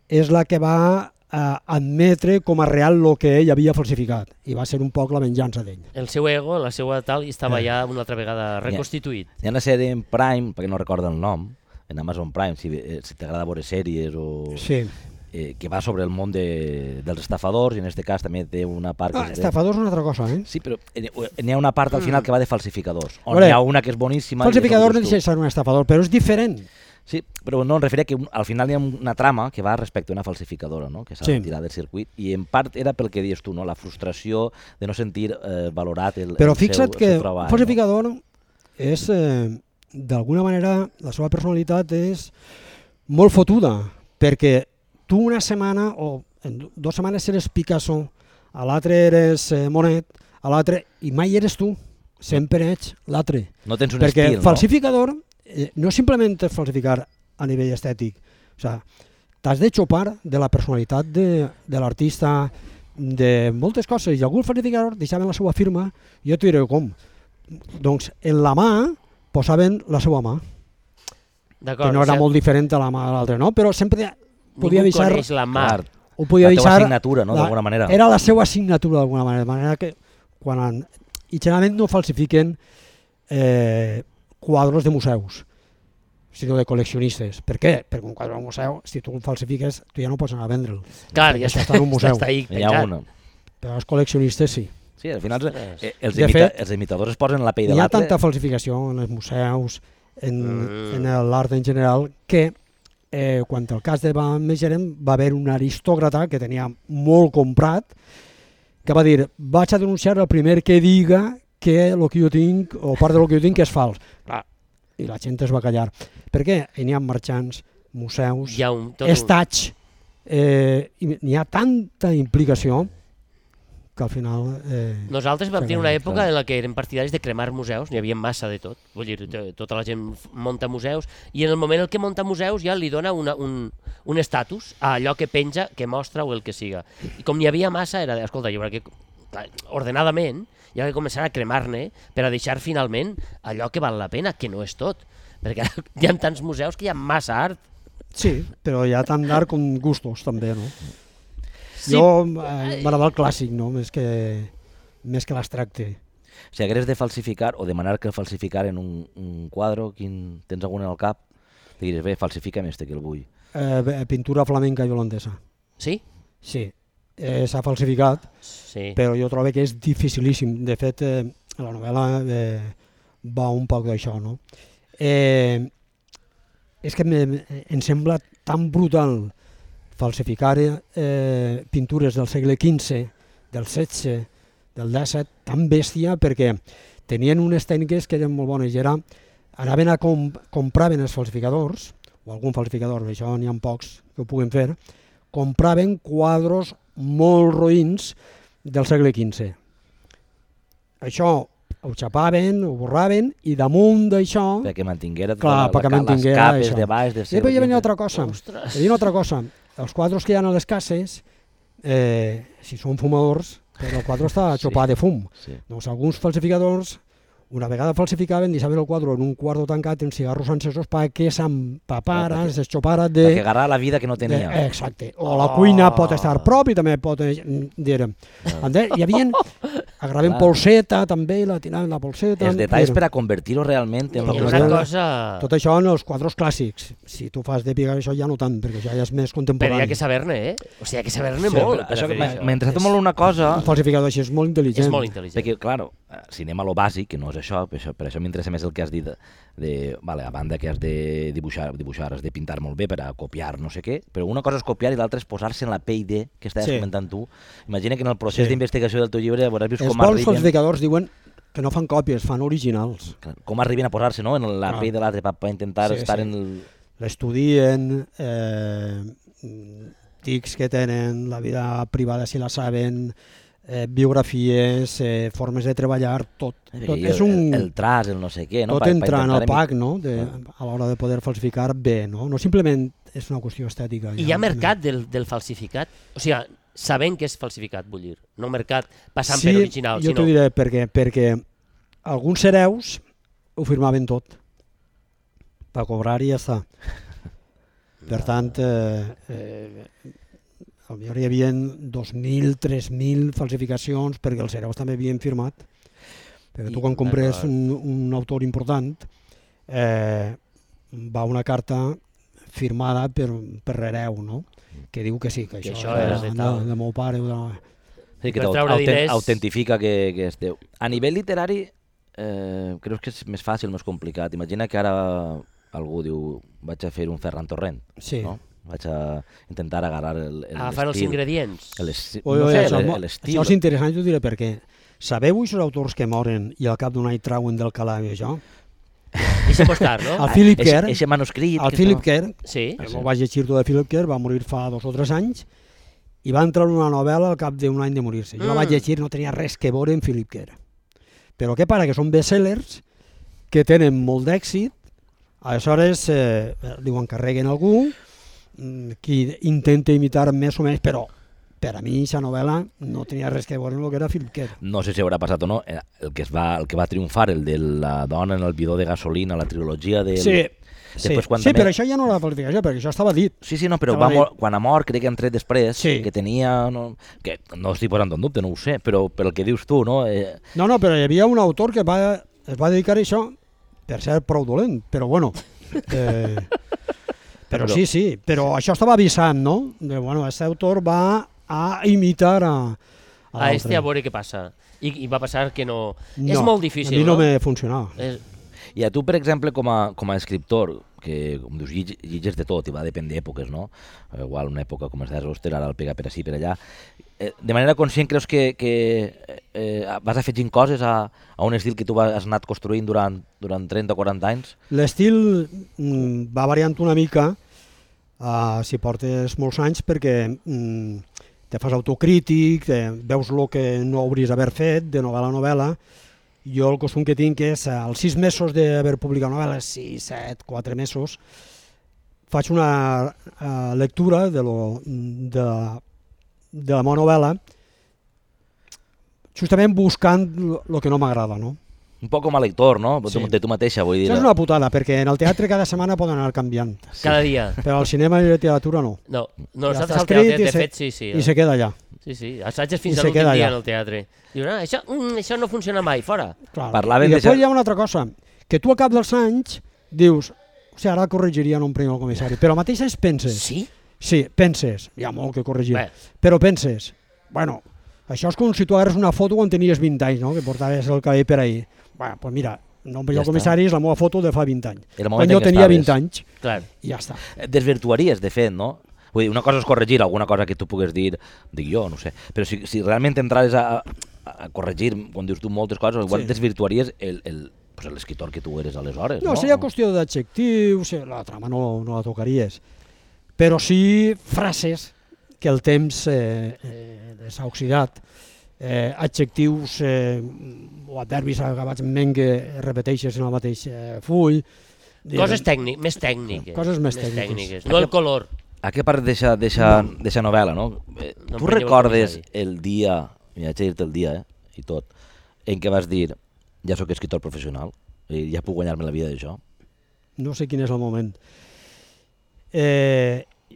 S3: és la que va admetre com a real el que ell havia falsificat. I va ser un poc la venjança d'ell.
S2: El seu ego, la seva tal, estava ja una altra vegada reconstituït.
S1: Hi ha una sèrie en Prime, perquè no recordo el nom, en Amazon Prime, si t'agrada veure sèries o...
S3: Sí.
S1: Que va sobre el món dels estafadors, i en aquest cas també té una part...
S3: Estafadors és una altra cosa, eh?
S1: Sí, però n'hi ha una part al final que va de falsificadors, on hi ha una que és boníssima...
S3: Falsificador no deixa de ser un estafador, però és diferent.
S1: Sí, però no, em referia que al final hi ha una trama que va respecte a una falsificadora, no? Que s'ha de tirar del circuit, i en part era pel que dius tu, no? La frustració de no sentir valorat el seu treball.
S3: Però fixa't que un falsificador és, d'alguna manera, la seva personalitat és molt fotuda, perquè tu una setmana o en 2 setmanes eres Picasso, a l'altre eres Monet, a l'altre, i mai eres tu, sempre ets l'altre.
S1: No tens un
S3: perquè
S1: estil, no?
S3: Perquè falsificador no simplement és falsificar a nivell estètic, o sigui, t'has de xopar de la personalitat de l'artista, de moltes coses, i algun falsificador deixaven la seva firma, jo t'ho diré com, doncs en la mà posaven la seva mà, que no era molt diferent a la mà de l'altre, no? Però sempre podia deixar
S2: la mà.
S3: O podia
S1: la
S3: deixar
S1: teva signatura, no? D'alguna manera.
S3: Era la seva signatura d'alguna manera, de manera que i generalment no falsifiquen quadros de museus, sinó de col·leccionistes. Per què? Perquè un quadre de museu, si tu el falsifiques, tu ja no pots anar a vendre'l.
S2: Clar, ja
S3: està en un museu.
S1: Hi ha una.
S3: Però els col·leccionistes sí.
S1: Sí, al final els imitadors es posen la pell de l'altre.
S3: Hi ha tanta falsificació en els museus, en l'art en general, que quan el cas de Van Meegeren va haver un aristòcrata que tenia molt comprat, que va dir, vaig a denunciar el primer que diga que el que jo tinc, o part del que jo tinc, és fals. I la gent es va callar. Per què? N'hi ha marxants, museus, estats, n'hi ha tanta implicació que al final...
S2: Nosaltres vam tenir una època en la que érem partidaris de cremar museus, n'hi havia massa de tot, vull dir, tota la gent munta museus, i en el moment en què munta museus ja li dona un estatus a allò que penja, que mostra o el que siga. I com n'hi havia massa, era de, escolta, jo crec que ordenadament hi ha que començar a cremar-ne per a deixar finalment allò que val la pena, que no és tot, perquè hi ha tants museus que hi ha massa art.
S3: Sí, però hi ha tant d'art com gustos també, no? Sí. Jo m'agrada el clàssic, no? Més que l'abstracte.
S1: Si hagués de falsificar o demanar que falsificaren un quadre, tens algun en el cap? Te diries, bé, falsifica'm que el vull.
S3: Pintura flamenca i holandesa.
S2: Sí?
S3: Sí, s'ha falsificat, però jo trobo que és dificilíssim. De fet, la novel·la va un poc d'això, no? És que em sembla tan brutal falsificar pintures del segle XV, del XVI, del XVII, tan bèstia, perquè tenien unes tècniques que eren molt bones, i anaven a compraven els falsificadors, o algun falsificador, això n'hi ha pocs que ho puguen fer, compraven quadros molt roïns del segle XV. això ho xapaven, ho borraven, i damunt d'això...
S1: Perquè mantinguera
S3: clar, perquè
S1: les capes de baix...
S3: I després hi havia una altra cosa. Hi havia una altra cosa. Els quadres que hi ha a les cases, si són fumadors, el quadre està xopat de fum. Doncs alguns falsificadors, una vegada falsificaven, deixaven el quadre en un quarto tancat en cigarros encesos perquè s'empapara, s'exxopara de...
S1: Perquè agarrava la vida que no tenia.
S3: Exacte. O la cuina pot estar prop i també pot... Hi havia... Agraven polseta també, la tiraven la polseta...
S1: Els detalls per a convertir-ho realment en...
S2: una cosa...
S3: Tot això en els quadres clàssics. Si tu fas de picar això ja no tant, perquè ja és més contemporani.
S2: Però hi ha que saber-ne, O sigui, hi ha que saber-ne molt.
S1: M'ha interessat molt una cosa...
S3: Un falsificador així és molt intel·ligent.
S2: És molt intel·ligent.
S1: Perquè, clar, si anem a lo bàsic, que no és això, per això m'interessa més el que has dit vale, a banda que has de dibuixar, has de pintar molt bé per a copiar no sé què, però una cosa és copiar i l'altra és posar-se en la pell de, que estaves comentant tu. Imagina que en el procés d'investigació del teu llibre hauràs vist com arriben...
S3: Els bons falsificadors diuen que no fan còpies, fan originals.
S1: Com arriben a posar-se en la pell de l'altre per intentar estar en el...
S3: L'estudien, tics que tenen, la vida privada si la saben... biografies, formes de treballar, tot és un...
S1: El traç, el no sé què, no?
S3: Tot entra en el pack, no? A l'hora de poder falsificar bé, no? No simplement és una qüestió estètica.
S2: I hi ha mercat del falsificat? O sigui, sabent que és falsificat, vull dir, no mercat passant per original,
S3: sinó... Sí, jo t'ho diré perquè alguns hereus ho firmaven tot per cobrar i ja està. Per tant, hi havia 2.000, 3.000 falsificacions perquè els hereus també havien firmat. Perquè tu quan compres un autor important va una carta firmada per l'hereu, no? Que diu que sí, que això és de meu pare.
S1: Sí, que autentifica que és teu. A nivell literari, creus que és més fàcil, més complicat? Imagina que ara algú diu vaig a fer un Ferran Torrent, no? Vaig a intentar agarrar l'estil.
S2: Agafar els ingredients.
S1: L'estil.
S3: Això és interessant, jo diré per què. Sabeu aquests autors que moren i al cap d'un any trauen del calaix això?
S2: Deixa postar, no?
S3: El Philip Kerr.
S1: Eixe manuscrit.
S3: El Philip Kerr,
S2: ho
S3: vaig llegir de Philip Kerr, va morir fa 2 o 3 anys i va entrar en una novel·la al cap d'un any de morir-se. Jo la vaig llegir, no tenia res que veure amb Philip Kerr. Però què para? Que són bestsellers que tenen molt d'èxit, aleshores li ho encarreguen a algú, qui intenta imitar més o menys, però per a mi aquesta novel·la no tenia res que veure amb el que era Philip Kerr.
S1: No sé si haurà passat o no, el que va triomfar, el de la dona en el bidó de gasolina, la trilogia del...
S3: Sí, però això ja no era la falsificació, perquè això estava dit.
S1: Sí, no, però quan ha mort, crec que han tret després, que tenia... que no estic posant en dubte, no ho sé, però per el que dius tu, no?
S3: No, però hi havia un autor que es va dedicar a això, per ser prou dolent, però bueno... Però sí, però això estava avisant, no? Aquest autor va a imitar a l'altre.
S2: A veure què passa. I va passar que no... És molt difícil,
S3: no? A mi no me funcionava.
S1: I a tu, per exemple, com a escriptor, que com dius, llitges de tot i va depèn d'èpoques, no? Igual una època com és d'Auster, ara el pega per ací, per allà. De manera conscient creus que vas afegint coses a un estil que tu has anat construint durant 30 o 40 anys?
S3: L'estil va variant una mica si portes molts anys perquè te fas autocrític, veus el que no hauries d'haver fet de novel·la a novel·la. Jo el costum que tinc és, als 6 mesos d'haver publicat novel·les, 6, 7, 4 mesos, faig una lectura de la meva novel·la, justament buscant el que no m'agrada, no?
S1: Un poc com a lector, no? De tu mateixa, vull dir.
S3: Això és una putada, perquè en el teatre cada setmana poden anar canviant.
S2: Cada dia.
S3: Però al cinema i la literatura no.
S2: No, nosaltres al teatre, de fet, sí.
S3: I se queda allà.
S2: Sí, assatges fins a l'últim dia en el teatre. Dius, això no funciona mai, fora.
S3: I després hi ha una altra cosa, que tu al cap dels anys dius, o sigui, ara corregiria en un primer comissari, però mateix penses.
S2: Sí?
S3: Sí, penses, hi ha molt que corregir, però penses, bueno, això és com si tu agarres una foto quan tenies 20 anys, no? Que portaves el cabell per ahir. Bueno, doncs mira, no primer comissari és la meva foto de fa 20 anys. Quan jo tenia 20 anys, i ja està.
S1: Desvirtuaries, de fet, no? Vull dir, una cosa és corregir alguna cosa que tu pugues dir, dic jo, no sé, però si realment entrares a corregir, quan dius tu moltes coses, igual desvirtuaries l'escriptor que tu eres aleshores, no?
S3: No, seria qüestió d'adjectius, la trama no la tocaries, però sí frases que el temps s'ha oxidat, adjectius o derbis acabats en men que repeteixes en el mateix full.
S2: Coses més tècniques.
S3: Coses més tècniques.
S2: No el color.
S1: A què part d'eixa novel·la, no? Tu recordes el dia, m'hi vaig dir-te el dia, i tot, en què vas dir, ja sóc escriptor professional, ja puc guanyar-me la vida d'això?
S3: No sé quin és el moment.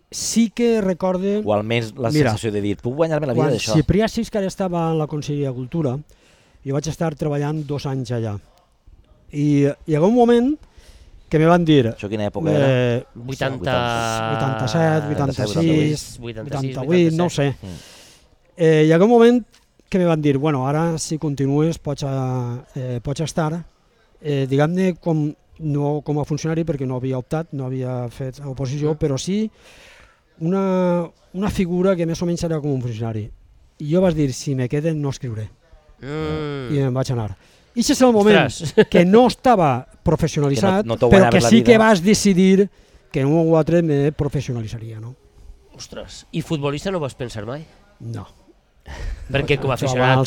S3: Sí que recorde...
S1: O almenys la sensació de dir, puc guanyar-me la vida d'això?
S3: Quan Ciprià Siscar estava en la Conselleria de Cultura, jo vaig estar treballant 2 anys allà. I hi ha un moment que me van dir...
S1: Això quina època era?
S3: 87, 86, 88, no ho sé. Hi ha un moment que me van dir, bueno, ara si continues pots estar, diguem-ne, no com a funcionari, perquè no havia optat, no havia fet oposició, però sí una figura que més o menys era com un funcionari. I jo vaig dir, si me queden no escriuré. I em vaig anar. I aquest és el moment que no estava professionalitzat, però que sí que vas decidir que en un o altre me professionalitzaria, no?
S2: Ostres, i futbolista no vas pensar mai?
S3: No.
S2: Perquè com a aficionat...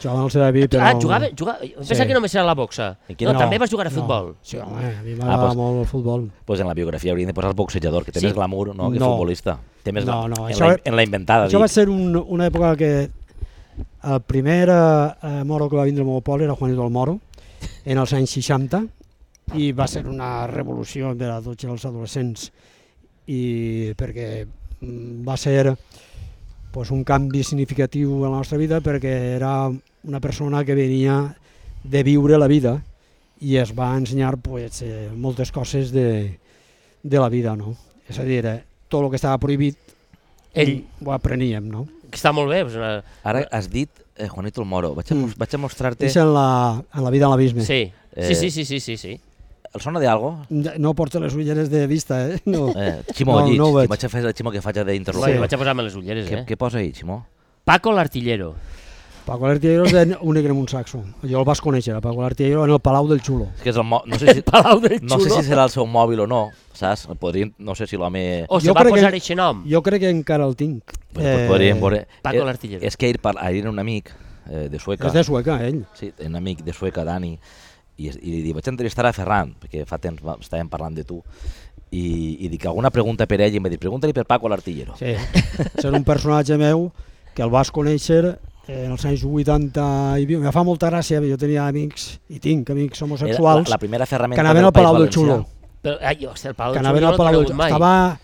S3: Jugava al Sedaví, però...
S2: Jugava? Pensa que només era la boxa. No, també vas jugar a futbol.
S3: Sí, home, a mi m'agrada molt el futbol.
S1: Doncs en la biografia hauríem de posar el boxejador, que té més glamour que futbolista. Té més glamour. En la inventada, dic.
S3: Això va ser una època que el primer moro que va vindre al meu poble era Juanito el Moro, en els anys 60, i va ser una revolució per a tots els adolescents, perquè va ser un canvi significatiu en la nostra vida, perquè era una persona que venia de viure la vida i es va ensenyar moltes coses de la vida, no? És a dir, tot el que estava prohibit ho apreníem, no?
S2: Que està molt bé.
S1: Ara has dit Juanito el Moro, vaig a mostrar-te...
S3: És en la vida en l'abisme.
S2: Sí.
S1: El sona d'algo?
S3: No porto les ulleres de vista, No.
S1: Ximo, llits. Vaig a fer el Ximo que faig d'interrogar.
S2: Vaig a posar-me les ulleres,
S1: Què posa ahí, Ximo?
S2: Paco l'Artillero.
S3: Paco l'Artillero és un negre amb un saxo. Jo el vas conèixer, Paco l'Artillero, en el Palau del Xulo.
S1: No sé si serà el seu mòbil o no, saps? No sé si l'home...
S2: O se va posar aquest nom.
S3: Jo crec que encara el tinc.
S1: Podríem veure.
S2: Paco l'Artillero.
S1: És que ahir era un amic de Sueca.
S3: És de Sueca, ell.
S1: Sí, un amic de Sueca, Dani, i li dic, vaig entrevistar a Ferran, perquè fa temps estàvem parlant de tu, i dic, alguna pregunta per ell, i em va dir, pregunta-li per Paco l'Artillero.
S3: Sí, és un personatge meu que el vas conèixer en els anys 80 i viu. Me fa molta gràcia, jo tenia amics, i tinc amics homosexuals,
S1: la primera ferramenta
S3: que anaven al Palau del Xulo.
S2: El Palau del Xulo no l'he conegut mai.
S3: Estava,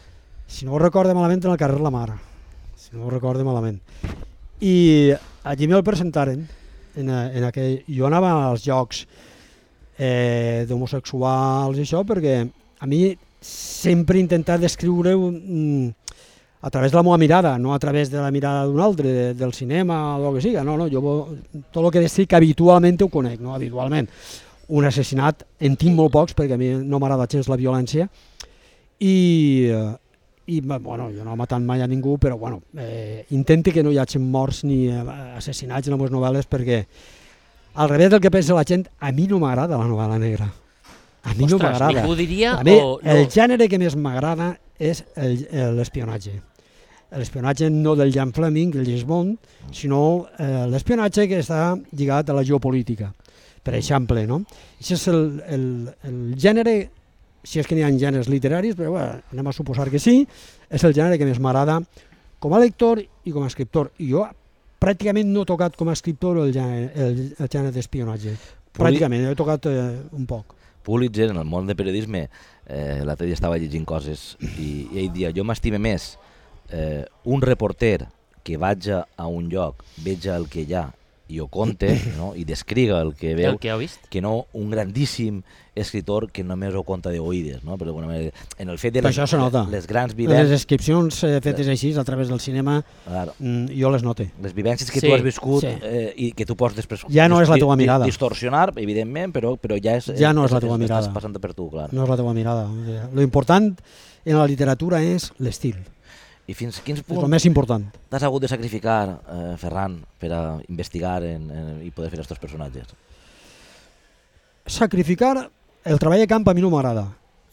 S3: si no ho recorde malament, en el carrer La Mar, si no ho recorde malament. I allí me'l presentaren, jo anava als llocs d'homosexuals i això, perquè a mi sempre he intentat descriure-ho a través de la meva mirada, no a través de la mirada d'un altre, del cinema o el que siga. No, jo tot el que descric habitualment ho conec, no habitualment. Un assassinat en tinc molt pocs, perquè a mi no m'agrada gens la violència, i bueno, jo no he matat mai a ningú, però bueno, intento que no hi hagi morts ni assassinats en les meves novel·les, perquè al revés del que pensa la gent, a mi no m'agrada la novel·la negra. A mi no m'agrada.
S2: Ningú diria
S3: a mi,
S2: o no?
S3: El gènere que més m'agrada és l'espionatge. L'espionatge no del Jan Fleming, el James Bond, sinó l'espionatge que està lligat a la geopolítica, per exemple, no? Això és el gènere, si és que n'hi ha gèneres literaris, però bueno, anem a suposar que sí, és el gènere que més m'agrada com a lector i com a escriptor. I jo pràcticament no he tocat com a escriptor el gènere d'espionatge. Pràcticament, he tocat un poc.
S1: Pulitzer, en el món de periodisme, l'altre dia estava llegint coses i ell dia, jo m'estime més un reporter que vaig a un lloc, veig el que hi ha i ho conte, no? I descriga el que veu, que no un grandíssim escritor que només ho conta d'oïdes, no? Però en el fet de les grans vivències...
S3: Les descripcions fetes així a través del cinema, jo les note.
S1: Les vivències que tu has viscut i que tu pots després...
S3: Ja no és la teva mirada.
S1: Distorsionar, evidentment, però ja és...
S3: Ja no és la teva mirada.
S1: Estàs passant per tu, clar.
S3: No és la teva mirada. Lo important en la literatura és l'estil.
S1: I fins quins punts
S3: és el més important.
S1: T'has hagut de sacrificar, Ferran, per a investigar i poder fer aquests personatges?
S3: Sacrificar, el treball de camp a mi no m'agrada,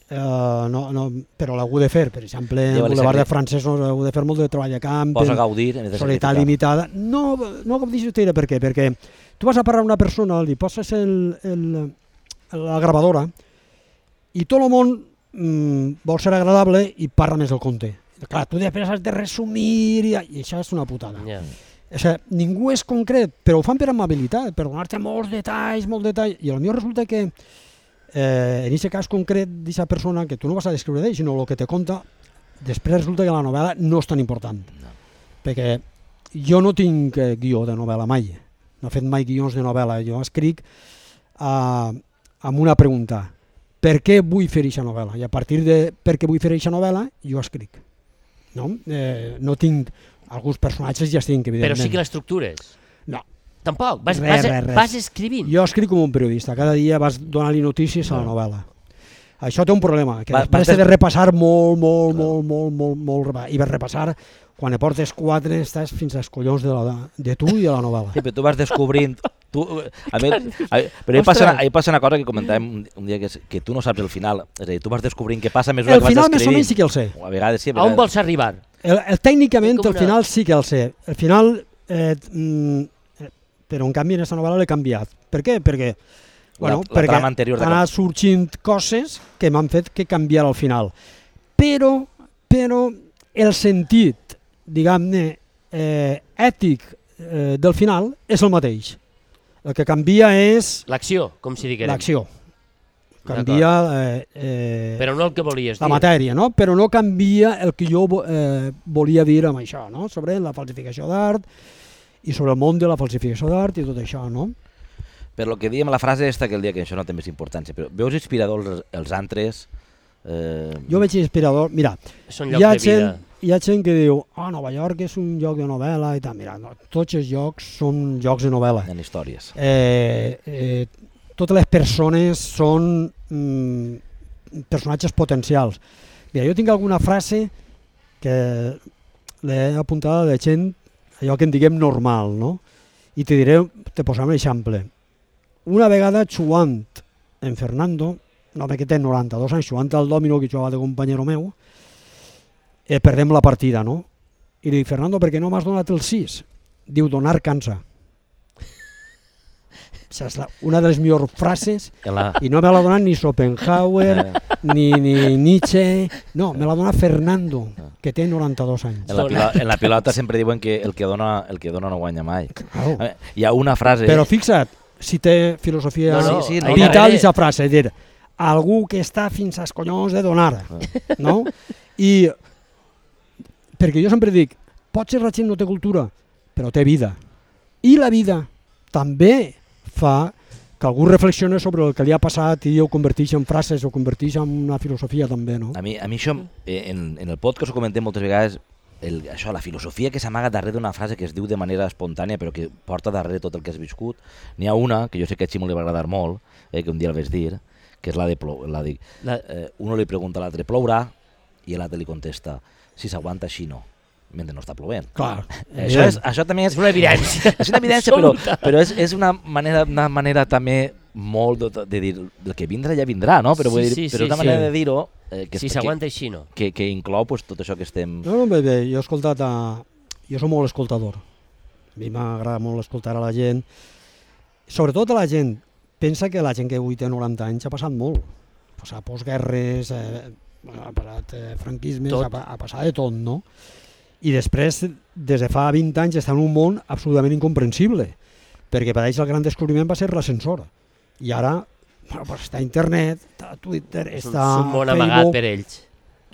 S3: però l'he hagut de fer. Per exemple, en Boulevard de Francesos he hagut de fer molt de treball de camp.
S1: Pots gaudir?
S3: Solidaritat limitada. No com dius, per què? Perquè Tu vas a parlar a una persona, li poses la gravadora i tot el món vol ser agradable i parla més del compte. Clar, tu després has de resumir i això és una putada. O sigui, ningú és concret, però ho fan per amabilitat, per donar-te molts detalls, i potser resulta que en aquest cas concret d'aquesta persona, que tu no vas a descriure d'ell, sinó el que te conta, després resulta que la novel·la no és tan important. Perquè jo no tinc guió de novel·la mai, no he fet mai guions de novel·la, jo escric amb una pregunta: per què vull fer aquesta novel·la? I a partir de per què vull fer aquesta novel·la, jo escric. No tinc alguns personatges, ja estic, evidentment.
S2: Però sí que l'estructures?
S3: No.
S2: Tampoc? Vas escrivint?
S3: Jo escric com un periodista, cada dia vas donar-li notícies a la novel·la. Això té un problema, que després t'he de repassar molt, i vas repassar, quan portes 4 estàs fins als collons de tu i de la novel·la.
S1: Sí, però tu vas descobrint... Però ahir passa una cosa que comentàvem un dia, que tu no saps el final, és a dir, tu vas descobrint què passa a mesura que vas escrivint.
S3: El final més o menys sí que el sé.
S1: A vegades sí.
S2: A on vols arribar?
S3: Tècnicament el final sí que el sé. El final... però en canvi en aquesta novel·la l'he canviat. Per què? Perquè han anat sorgint coses que m'han fet que canviar al final. Però el sentit, diguem-ne, ètic del final és el mateix. El que canvia és...
S2: L'acció, com si diguem.
S3: L'acció. Canvia...
S2: però no el que volies dir.
S3: La matèria, no? Però no canvia el que jo volia dir amb això, no? Sobre la falsificació d'art i sobre el món de la falsificació d'art i tot això, no?
S1: Per lo que dèiem la frase esta, que el dia que això no té més importància, però veus inspiradors els altres?
S3: Jo veig inspirador... Mira, hi ha gent que diu Nova York és un lloc de novel·la i tal. Mira, tots els llocs són llocs de novel·la.
S1: En històries.
S3: Totes les persones són personatges potencials. Mira, jo tinc alguna frase que l'he apuntada de gent, allò que en diguem normal, no? I te posaré un exemple. Una vegada jugant en Fernando, un home que té 92 anys, jugant al dòmino que jugava de companyero meu, perdem la partida, no? I li dic, Fernando, per què no m'has donat el 6? Diu, donar cansa. És una de les millors frases, i no me l'ha donat ni Schopenhauer, ni Nietzsche, no, me l'ha donat Fernando, que té 92 anys.
S1: En la pilota sempre diuen que el que dona no guanya mai. Hi ha una frase...
S3: Però fixa't, si té filosofia vital aquesta frase, dir, algú que està fins als collons de donar, no? I perquè jo sempre dic, potser la gent no té cultura, però té vida. I la vida també fa que algú reflexioni sobre el que li ha passat i ho converteix en frases, ho converteix en una filosofia també, no?
S1: A mi això, en el podcast ho comentem moltes vegades, això, la filosofia que s'amaga darrere d'una frase que es diu de manera espontània però que porta darrere tot el que has viscut. N'hi ha una, que jo sé que a Ximo li va agradar molt, que un dia el vas dir, que és la de uno li pregunta a l'altre, plourà? I l'altre li contesta, si s'aguanta així no, mentre no està plovent.
S3: Clar.
S1: Això també és una evidència. És una evidència, però és una manera també molt de dir, el que vindrà ja vindrà, no? Però és una manera de dir-ho
S2: si s'aguanta així no.
S1: Que inclou tot això que estem...
S3: No, bé, jo he escoltat, jo soc molt escoltador. A mi m'agrada molt escoltar a la gent. Sobretot a la gent. Pensa que la gent que avui té 90 anys ha passat molt. Ha passat postguerres, ha passat franquismes, ha passat de tot, no? I després, des de fa 20 anys, està en un món absolutament incomprensible, perquè per ells el gran descobriment va ser l'ascensor. I ara està internet, està Twitter, està
S2: Facebook... És un món amagat per ells.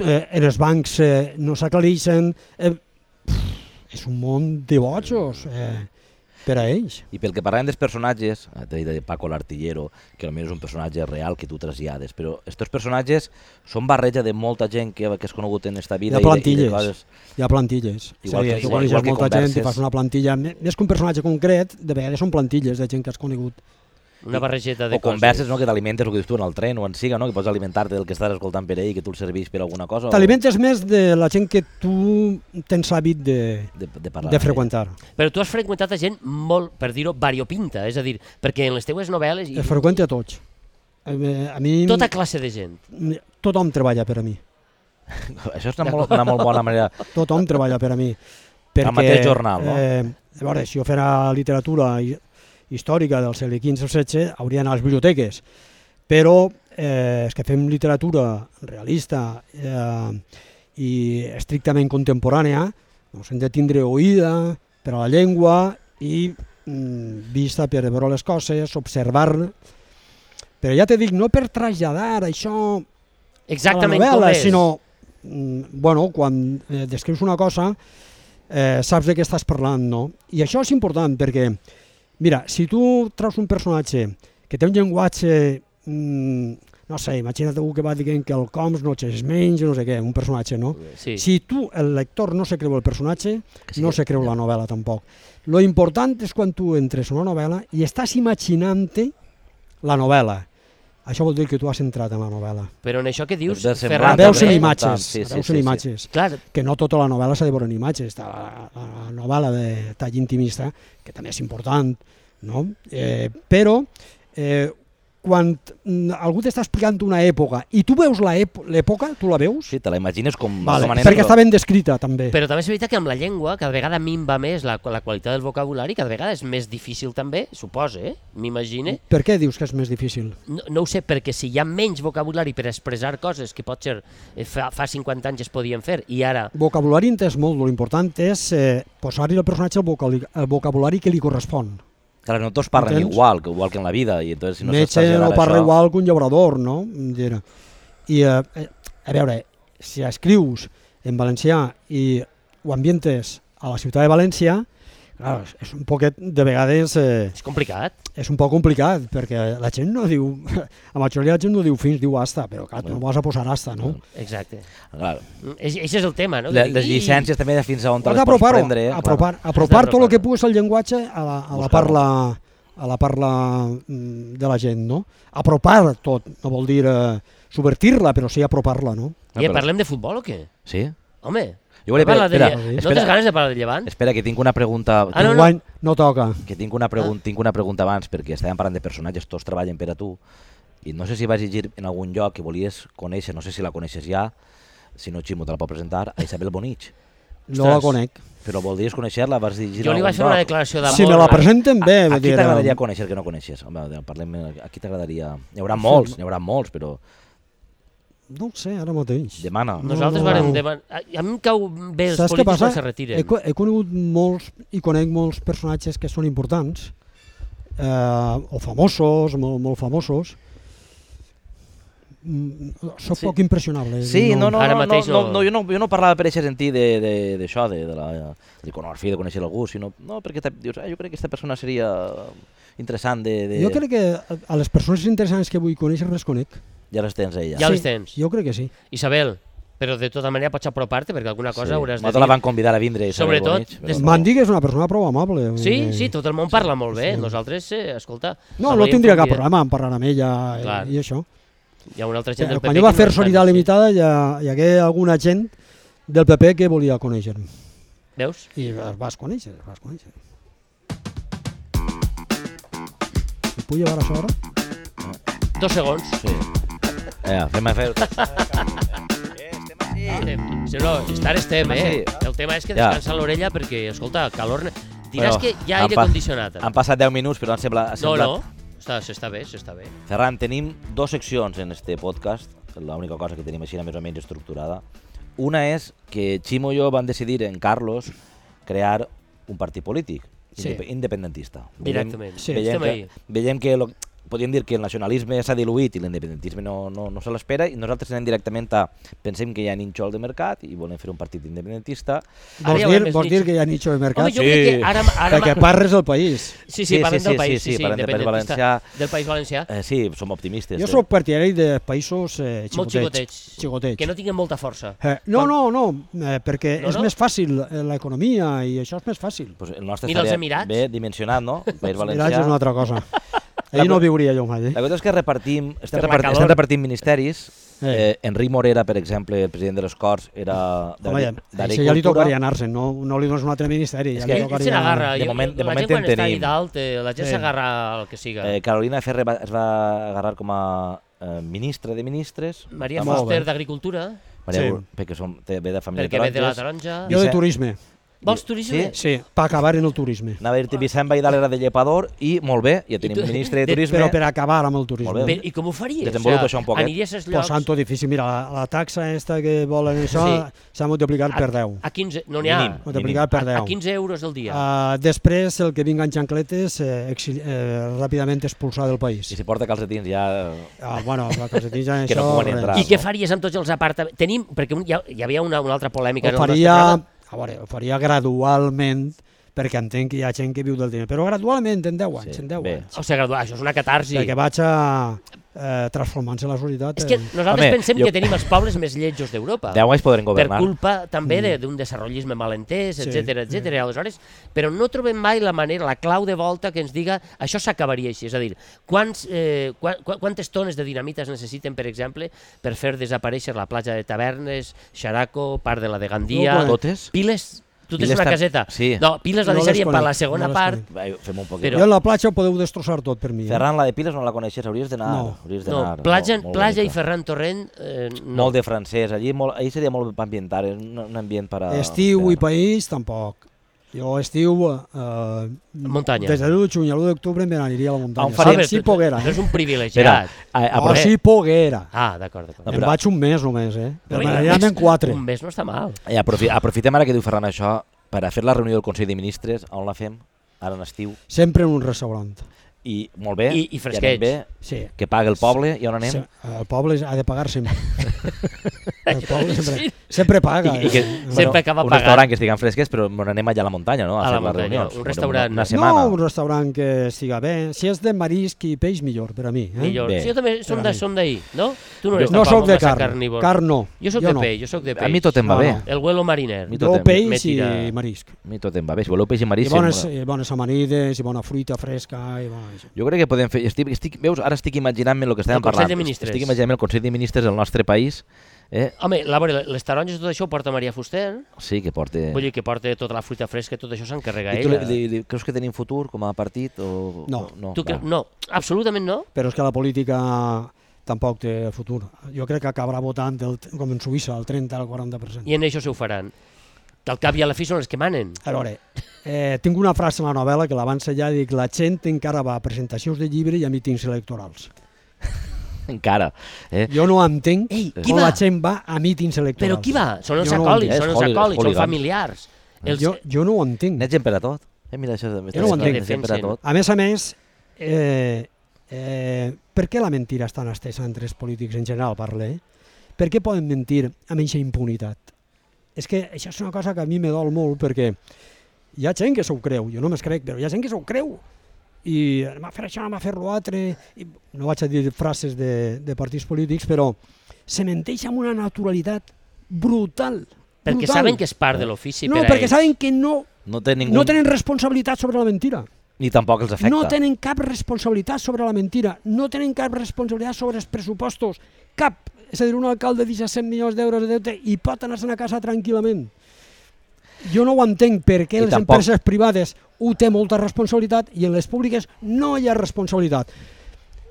S3: En els bancs no s'aclareixen. És un món de bojos per a ells.
S1: I pel que parlàvem dels personatges, t'he dit de Paco l'Artillero, que potser és un personatge real que tu trasllades, però aquests personatges són barreja de molta gent que has conegut en esta vida.
S3: Hi ha plantilles. Hi ha plantilles. Tu coneixes molta gent i fas una plantilla. Més que un personatge concret, de vegades són plantilles de gent que has conegut.
S2: Una barregeta de
S1: coses. O converses, no? Que t'alimentes el que dius tu en el tren o en siga, no? Que pots alimentar-te del que estàs escoltant per ell i que tu el servís per alguna cosa.
S3: T'alimentes més de la gent que tu tens hàbit de freqüentar.
S2: Però tu has freqüentat a gent molt, per dir-ho, variopinta, és a dir, perquè en les teues novel·les...
S3: Es freqüenta a tots. A mi...
S2: Tota classe de gent.
S3: Tothom treballa per a mi.
S1: Això és una molt bona manera.
S3: Tothom treballa per a mi.
S1: Al mateix jornal, no?
S3: A veure, si jo fera literatura i històrica del segle XV o XVI hauria d'anar a les biblioteques, però els que fem literatura realista i estrictament contemporània doncs hem de tindre oïda per a la llengua i vista per veure les coses, observar, però ja te dic, no per traslladar això
S2: exactament
S3: a la novel·la,
S2: com és.
S3: sinó bueno, quan descrius una cosa saps de què estàs parlant, no? I això és important perquè, mira, si tu treus un personatge que té un llenguatge, no sé, imagina't algú que va dient que el coms no és menys, no sé què, un personatge, no?
S2: Sí.
S3: Si tu, el lector, no se creu el personatge, no se creu la novel·la tampoc. Lo important és quan tu entres en una novel·la i estàs imaginant-te la novel·la. Això vol dir que tu has entrat en la novel·la.
S2: Però en això que dius,
S1: Ferran,
S3: Veus en
S2: també,
S3: imatges, imatges.
S2: Clar,
S3: Que no tota la novel·la s'ha de veure en imatges. Està la novel·la de tall intimista, que també és important, no? Però quan algú t'està explicant una època i tu veus l'època, tu la veus?
S1: Sí, te la imagines com...
S3: Vale,
S1: com
S3: perquè està ben descrita, també.
S2: però també és veritat que amb la llengua cada vegada minva més la qualitat del vocabulari, cada vegada és més difícil també, suposa, m'imagine.
S3: Per què dius que és més difícil?
S2: No ho sé, perquè si hi ha menys vocabulari per expressar coses que potser fa 50 anys es podien fer i ara...
S3: Vocabulari entès molt, l'important és posar-hi al personatge el vocabulari que li correspon.
S1: Clar, no tots parlen
S3: Entens?
S1: igual que en la vida. I entonces, si no
S3: Metge no parla igual que un llaurador, no? I, a veure, si escrius en valencià i ho ambientes a la ciutat de València, clar, és un poquet, de vegades...
S2: És complicat.
S3: És un poc complicat, perquè la gent no diu... La majoria de la gent no diu fins, diu hasta, però clar, tu no vas a posar hasta, no?
S2: Exacte.
S1: Clar.
S2: Això és el tema, no?
S1: Les llicències també fins a on te
S3: Has
S1: les pots
S3: d'apropar-ho,
S1: prendre.
S3: apropar tot el que puguis al llenguatge a la parla de la gent, no? Apropar tot, no vol dir subvertir-la, però sí apropar-la, no?
S2: I parlem de futbol o què?
S1: Sí?
S2: Home,
S1: Jo volia...
S2: no tens ganes de parlar de Llevant?
S1: Espera, que tinc una pregunta...
S3: No toca.
S1: Que tinc una pregunta abans, perquè estàvem parlant de personatges, tots treballen per a tu, i no sé si vas llegir en algun lloc que volies conèixer, no sé si la coneixes ja, si no Ximo te la pot presentar, a Isabel Bonich.
S3: No la conec.
S1: Però voldries conèixer-la? Vas llegir
S2: Jo li vaig fer una declaració d'amor.
S3: Si me la presenten bé...
S1: A qui t'agradaria conèixer que no coneixes? Home, parlem, a qui t'agradaria... N'hi haurà molts, però...
S3: No ho sé, ara mateix.
S1: Demana.
S2: Nosaltres varem demanar... A mi em cau bé els polítics quan se retiren.
S3: He conegut molts i conec molts personatges que són importants, o famosos, molt famosos. Soc poc impressionable.
S1: Sí, no, jo no parlava per aquest sentit d'això, de la iconografia, de conèixer algú, sinó perquè dius, jo crec que aquesta persona seria interessant de...
S3: Jo crec que a les persones interessants que vull conèixer les conec.
S1: Ja les tens ella.
S2: Ja les tens.
S3: Jo crec que sí.
S2: Isabel, però de tota manera pots apropar-te perquè alguna cosa hauràs de dir.
S1: Nosaltres la van convidar a vindre.
S2: Sobretot...
S3: M'han dit que és una persona prou amable.
S2: Sí, tot el món parla molt bé. Nosaltres, escolta...
S3: No tindria cap problema en parlar amb ella i això.
S2: Hi ha una altra gent del PP...
S3: Quan jo va fer Solidaritat Limitada hi hagué alguna gent del PP que volia conèixer-me.
S2: Veus?
S3: I els vas conèixer. Em puc llevar això ara?
S2: 2 segons.
S1: Sí. Fem a fer...
S2: No, estar estem, El tema és que descansa l'orella perquè, escolta, calor... Diràs que hi ha aire condicionat.
S1: Han passat 10 minuts, però han semblat...
S2: No, s'està bé.
S1: Ferran, tenim 2 seccions en este podcast, l'única cosa que tenim així més o menys estructurada. Una és que Ximo i jo vam decidir en Carlos crear un partit polític independentista.
S2: Directament.
S1: Veiem que podríem dir que el nacionalisme s'ha diluït i l'independentisme no se l'espera i nosaltres anem directament pensem que hi ha nínxol de mercat i volem fer un partit independentista.
S3: Vols dir que hi ha nínxol de mercat?
S2: Home, jo crec que ara...
S3: Perquè parles del país.
S2: Sí, parlem del país,
S1: parlem del País Valencià.
S2: Del País Valencià.
S1: Sí, som optimistes.
S3: Jo soc partidari de països xicotets.
S2: Que no tinguin molta força.
S3: No, perquè és més fàcil l'economia i això és més fàcil.
S1: Mira els Emirats. Bé dimensionat, no?
S3: Els Emirats és una altra cosa. Ahir no viuria jo mai.
S1: La cosa és que estem repartint ministeris. Enric Morera, per exemple, el president de les Corts, era
S3: d'Agricultura. Ja li tocaria anar-se'n, no li dones un altre ministeri.
S2: Ell se n'agarra.
S1: De moment
S2: la gent quan està allà dalt, la gent s'agarra al que siga.
S1: Carolina Ferrer es va agarrar com a ministra de ministres.
S2: Maria Fuster, d'Agricultura.
S1: Perquè ve de família
S2: taronges.
S1: Perquè ve de la taronja.
S3: Jo de turisme.
S2: Vols turisme?
S3: Sí, per acabar en el turisme.
S1: Anava a dir-te Vicent Baidal era de llepador i molt bé, ja tenim un ministre de turisme.
S3: Però per acabar amb el turisme.
S1: Molt bé.
S2: I com ho faries?
S1: Desenvolupa això un poquet.
S2: Aniries als llocs...
S3: Posant-ho difícil. Mira, la taxa esta que volen això s'ha multiplicat per 10.
S2: A 15... No n'hi ha.
S3: Multiplicat per 10.
S2: A 15 euros al dia.
S3: Després, el que vinga en xancletes, ràpidament expulsar del país.
S1: I si porta calcetins ja...
S3: Bueno, la calcetins ja
S1: Que no
S3: això...
S1: poden entrar.
S2: I què faries amb tots els apartaments? Tenim... Perquè hi havia una altra polèmica.
S3: Ho faria gradualment, perquè entenc que hi ha gent que viu del diner, però gradualment, en 10 anys, en 10 anys.
S2: O sigui, això és una catarsi.
S3: Perquè vaig transformant-se la societat.
S2: És que nosaltres pensem que tenim els pobles més lletjos d'Europa.
S1: 10 anys podrem governar.
S2: Per culpa també d'un desenvolupisme malentès, etc. Aleshores, però no trobem mai la manera, la clau de volta que ens diga això s'acabaria així. És a dir, quantes tones de dinamita es necessiten, per exemple, per fer desaparèixer la platja de Tavernes, Xaraco, part de la de Gandia...
S1: Totes?
S2: Piles... Tu tens una caseta?
S1: Sí.
S2: No, Piles la deixaríem per la segona part.
S1: Fem un poquet.
S3: Jo en la platja ho podeu destrossar tot per mi.
S1: Ferran, la de Piles no la coneixes, hauries d'anar.
S2: No, platja i Ferran Torrent...
S1: Molt de francès, allí seria molt ambientar, un ambient per a...
S3: Estiu i país, tampoc. Jo estiu...
S2: Muntanya.
S3: Des de l'1 de juny a l'1 d'octubre me n'aniria a la muntanya.
S2: Si poguera. No és un privilegiat.
S3: Si poguera.
S2: D'acord.
S3: Em vaig un mes només, Però me n'aniran en 4.
S2: Un mes no està mal.
S1: Aprofitem ara que diu Ferran això per a fer la reunió del Consell de Ministres. On la fem? Ara en estiu.
S3: Sempre en un restaurant.
S1: I molt bé,
S2: I fresquets.
S1: Que paga el poble i on anem?
S3: El poble ha de pagar sempre. El poble sempre paga.
S2: Sempre acaba pagant.
S1: Un restaurant que estiguen fresquets, però anem allà a la muntanya, no?
S2: A la muntanya, un restaurant.
S1: Una setmana.
S3: No, un restaurant que estiga bé. Si és de marisc i peix, millor, per a mi.
S2: Millor. Jo també som d'ahir, no? Tu no eres
S3: no soc de
S2: carn.
S3: Carn no.
S2: Jo soc de peix,
S1: A mi tot em va bé.
S2: El huelo mariner.
S3: Jo peix i marisc.
S1: A mi tot em va bé. Si voleu peix i marisc...
S3: I bones amanides, i bona fruita fresca...
S1: Jo crec que podem fer... Veus, ara estic imaginant-me el que estàvem parlant. Estic imaginant-me el Consell de Ministres del nostre país.
S2: Home, les taronges i tot això ho porta Maria Fuster.
S1: Sí, que porta...
S2: Vull dir que porta tota la fruita fresca, tot això s'encarrega ella.
S1: Creus que tenim futur com a partit?
S3: No.
S2: No, absolutament no.
S3: Però és que la política tampoc té futur. Jo crec que acabarà votant, com en Suïssa, el 30 al 40%.
S2: I en això s'ho faran. Que al cap i a la fi són els que manen.
S3: A veure, tinc una frase en la novel·la que l'abans ja dic, la gent encara va a presentacions de llibre i a mítings electorals.
S1: Encara.
S3: Jo no entenc com la gent va a mítings electorals.
S2: Però qui va? Són els acòlits, són familiars.
S3: Jo no ho entenc.
S1: N'hi ha gent per a tot. Mira, això
S3: jo no ho entenc. A més, per què la mentira és tan estesa entre els polítics en general, parle? Per què poden mentir amb aquesta impunitat? És que això és una cosa que a mi me dol molt, perquè hi ha gent que s'ho creu, jo no me'ls crec, però hi ha gent que s'ho creu. I anem a fer això, anem a fer l'altre... No vaig a dir frases de partits polítics, però se menteix amb una naturalitat brutal.
S2: Perquè saben que és part de l'ofici per a ells.
S3: No, perquè saben que no tenen responsabilitat sobre la mentira.
S1: Ni tampoc els afecta.
S3: No tenen cap responsabilitat sobre la mentira, no tenen cap responsabilitat sobre els pressupostos, cap. És a dir, un alcalde de 17 milions d'euros de deute i pot anar-se'n a casa tranquil·lament. Jo no ho entenc perquè les empreses privades ho té molta responsabilitat i en les públiques no hi ha responsabilitat.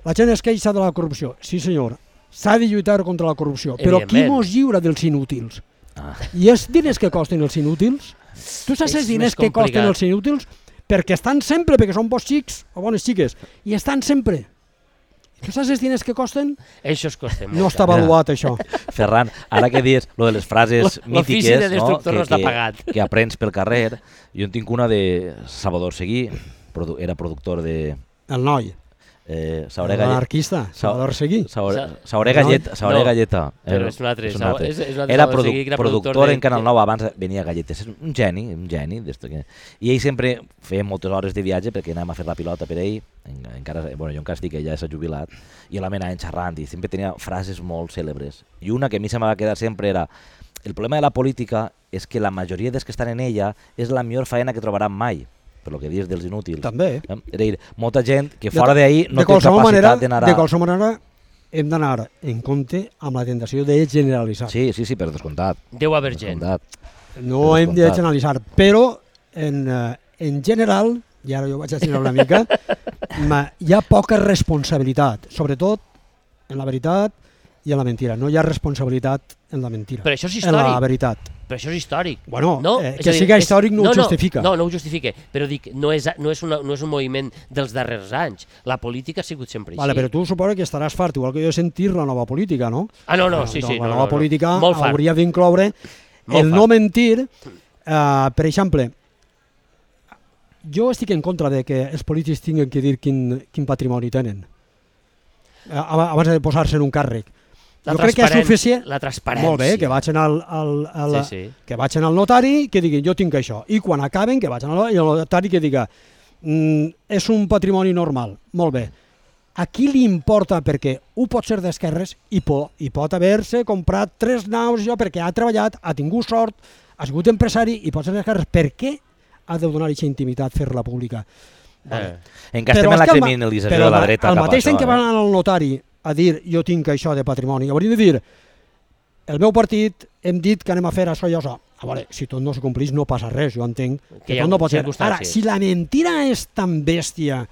S3: La gent es queixa de la corrupció. Sí, senyor, s'ha de lluitar contra la corrupció, però qui mos lliura dels inútils? I els diners que costen els inútils? Tu saps els diners que costen els inútils? Perquè estan sempre, perquè són bons xics o bones xiques, i estan sempre. Tu saps els diners que costen?
S2: Això es costa molt.
S3: No està avaluat, això.
S1: Ferran, ara que dius lo de les frases mítiques que aprens pel carrer, jo en tinc una de Salvador Seguí, era productor de...
S3: El noi. L'anarquista, Salvador Seguí.
S1: Sauré Galleta.
S2: Però és un altre.
S1: Era productor en Canal 9, abans venia Galletes. És un geni. I ell sempre feia moltes hores de viatge perquè anàvem a fer la pilota per ell. Jo encara estic, ella s'ha jubilat. I la anava xerrant i sempre tenia frases molt cèlebres. I una que a mi se m'ha quedat sempre era: el problema de la política és que la majoria dels que estan en ella és la millor faena que trobaran mai. Per lo que dius dels inútils.
S3: També.
S1: És a dir, molta gent que fora d'ahir no té capacitat d'anar a...
S3: De qualsevol manera, hem d'anar en compte amb la tentació de generalitzar.
S1: Sí, per descomptat.
S2: Deu haver gent.
S3: No hem de generalitzar, però en general, i ara jo vaig a generar una mica, hi ha poca responsabilitat, sobretot, en la veritat, i en la mentira. No hi ha responsabilitat en la mentira.
S2: Però això és
S3: en la
S2: històric.
S3: veritat.
S2: Però això és històric.
S3: Bueno,
S2: no?
S3: Que siga històric no ho justifica.
S2: No ho justifica, però dic, no és un moviment dels darrers anys. La política ha sigut sempre així.
S3: Vale, però tu suposo que estaràs fart, igual que jo, sentir la nova política, no?
S2: Sí.
S3: La nova política hauria d'incloure el no mentir. Per exemple, jo estic en contra de que els polítics tinguin que dir quin patrimoni tenen abans de posar-se en un càrrec. Jo crec que és suficient.
S2: La transparència.
S3: Molt bé, que vagin que vagin al notari, que diguin jo tinc això, i quan acaben que vagin al notari que diga és un patrimoni normal. Molt bé. A qui li importa? Perquè ho pot ser d'esquerres i pot haver-se comprat 3 naus perquè ha treballat, ha tingut sort, ha sigut empresari i pot ser d'esquerres. Per què ha de donar aquesta intimitat, fer-la pública?
S1: Encara estem en la criminalització de la dreta.
S3: Al mateix temps que van al notari a dir jo tinc això de patrimoni, hauria de dir el meu partit hem dit que anem a fer això i això. A veure, si tot no se complís no passa res, jo entenc que tot no pot ser. Ara, si la mentira és tan bèstia,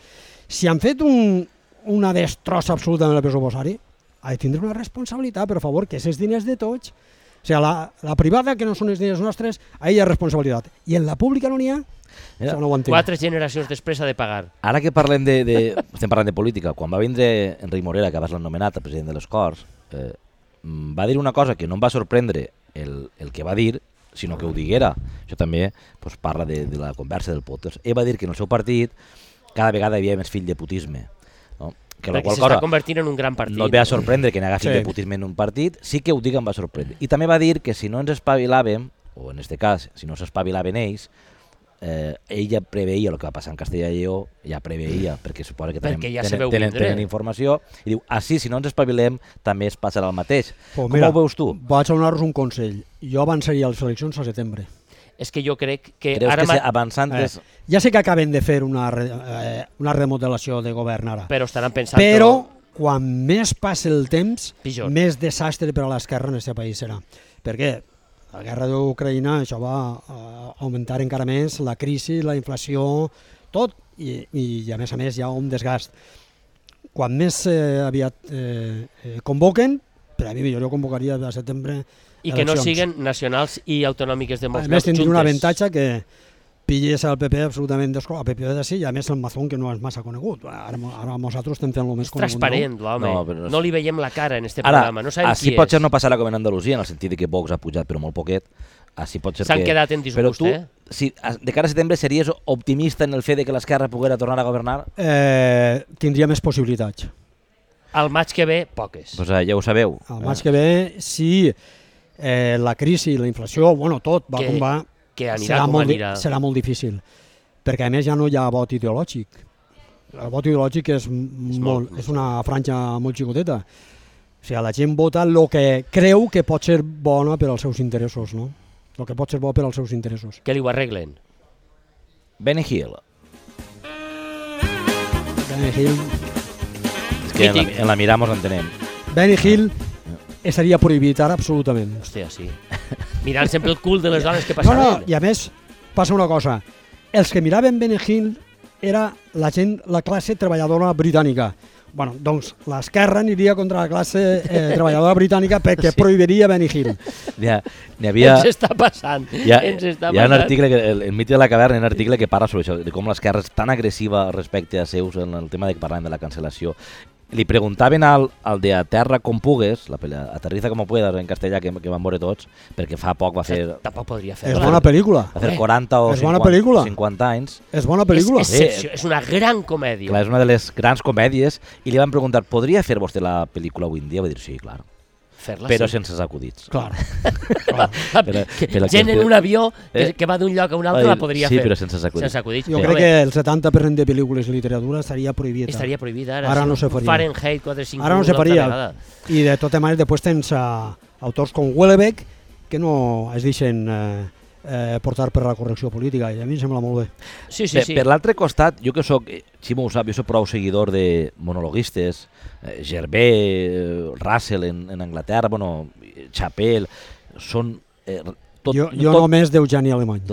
S3: si han fet una destrossa absoluta en el pressuposari, ha de tindre una responsabilitat, per favor, que és diners de tots. O sigui, la privada, que no són els diners nostres, ahí hi ha responsabilitat. I en la pública no n'hi ha?
S2: No ho entenc. 4 generacions després ha de pagar.
S1: Ara que estem parlant de política, quan va vindre Enric Morera, que abans l'han nomenat el president de les Corts, va dir una cosa que no em va sorprendre el que va dir, sinó que ho diguera. Això també parla de la conversa del podcast. Ell va dir que en el seu partit cada vegada hi havia més fill de putisme.
S2: Perquè s'està convertint en un gran partit.
S1: No et ve a sorprendre que n'hi haga fill de putisme en un partit, sí que ho dic em va sorprendre. I també va dir que si no ens espavilàvem, o en aquest cas, si no s'espavilaven ells, ell ja preveia el que va passar en Castella i Lleó, ja preveia, perquè suposa que tenen informació, i diu, si no ens espavilem, també es passarà el mateix. Com ho veus tu?
S3: Vaig a donar-vos un consell. Jo avançaria les eleccions a setembre.
S2: És que jo crec que...
S1: Creus que avançant...
S3: Ja sé que acaben de fer una remodelació de govern ara.
S2: Però estaran pensant...
S3: Però quan més passi el temps,
S2: pitjor.
S3: Més desastre per a l'esquerra en aquest país serà. Per què? La guerra d'Ucraïna, això va augmentar encara més la crisi, la inflació, tot, i a més hi ha un desgast. Quan més aviat convoquen, per a mi jo convocaria a setembre
S2: i que no siguen nacionals i autonòmiques de molts
S3: llocs juntes. A més, tindria un avantatge que pilles al PP absolutament desconegut, al PP de sí, i a més el Mazón, que no és massa conegut. Ara nosaltres estem fent el més conegut.
S2: És transparent, l'home. No li veiem la cara en este programa. No sabem qui és.
S1: Potser no passarà com en Andalusia, en el sentit que Vox ha pujat, però molt poquet.
S2: S'han quedat en disgust,
S1: Però tu, de cara a setembre, series optimista en el fet que l'esquerra poguera tornar a governar?
S3: Tindria més possibilitats.
S2: Al maig que ve, poques.
S1: Pues ja ho sabeu.
S3: Al maig que ve, sí, la crisi, la inflació, tot va com va, serà molt difícil, perquè a més ja no hi ha vot ideològic. El vot ideològic és una franja molt xicoteta. O sigui, la gent vota el que creu que pot ser bona per als seus interessos, no? El que pot ser bo per als seus interessos.
S2: Que li ho arreglen?
S1: Benny Hill.
S3: Benny Hill...
S1: És que en la Miramos l'entenem.
S3: Benny Hill estaria prohibit ara absolutament.
S2: Hòstia, sí. Mirant sempre el cul de les dones que passaven.
S3: No, i a més passa una cosa. Els que miraven Benny Hill era la classe treballadora britànica. Bueno, doncs l'esquerra aniria contra la classe treballadora britànica perquè prohibiria Benny Hill.
S2: Ens està passant.
S1: Hi ha un article, el mite de la caverna, un article que parla sobre això, de com l'esquerra és tan agressiva respecte a seus en el tema de que parlàvem de la cancel·lació. Li preguntaven al de Aterra com pugues, Aterriza como puedas en castellà, que van veure tots, perquè fa poc va fer...
S2: Tampoc podria fer.
S3: És bona pel·lícula.
S1: Va fer 40 o 50 anys.
S3: És bona pel·lícula.
S2: És una gran comèdia.
S1: Clar, és una de les grans comèdies, i li van preguntar, podria fer vostè la pel·lícula avui en dia? Va dir, sí, clar. Però sense acudits.
S3: Clar.
S2: Gent en un avió que va d'un lloc a un altre la podria fer.
S1: Sí, però sense acudits.
S3: Jo crec que el 70% de pel·lícules i literatura estaria prohibida.
S2: Estaria prohibida ara.
S3: Ara no se faria.
S2: Fahrenheit 451.
S3: Ara no se faria. I de tota manera, després tens autors com Houellebecq que no es deixen portar per la correcció política, i a mi em sembla molt bé.
S2: Sí.
S1: Per l'altre costat, jo que soc, Ximo ho sap, jo soc prou seguidor de monologuistes, Gervais, Russell en Anglaterra, Chappell, són...
S3: Jo només d'Eugeni Alemany.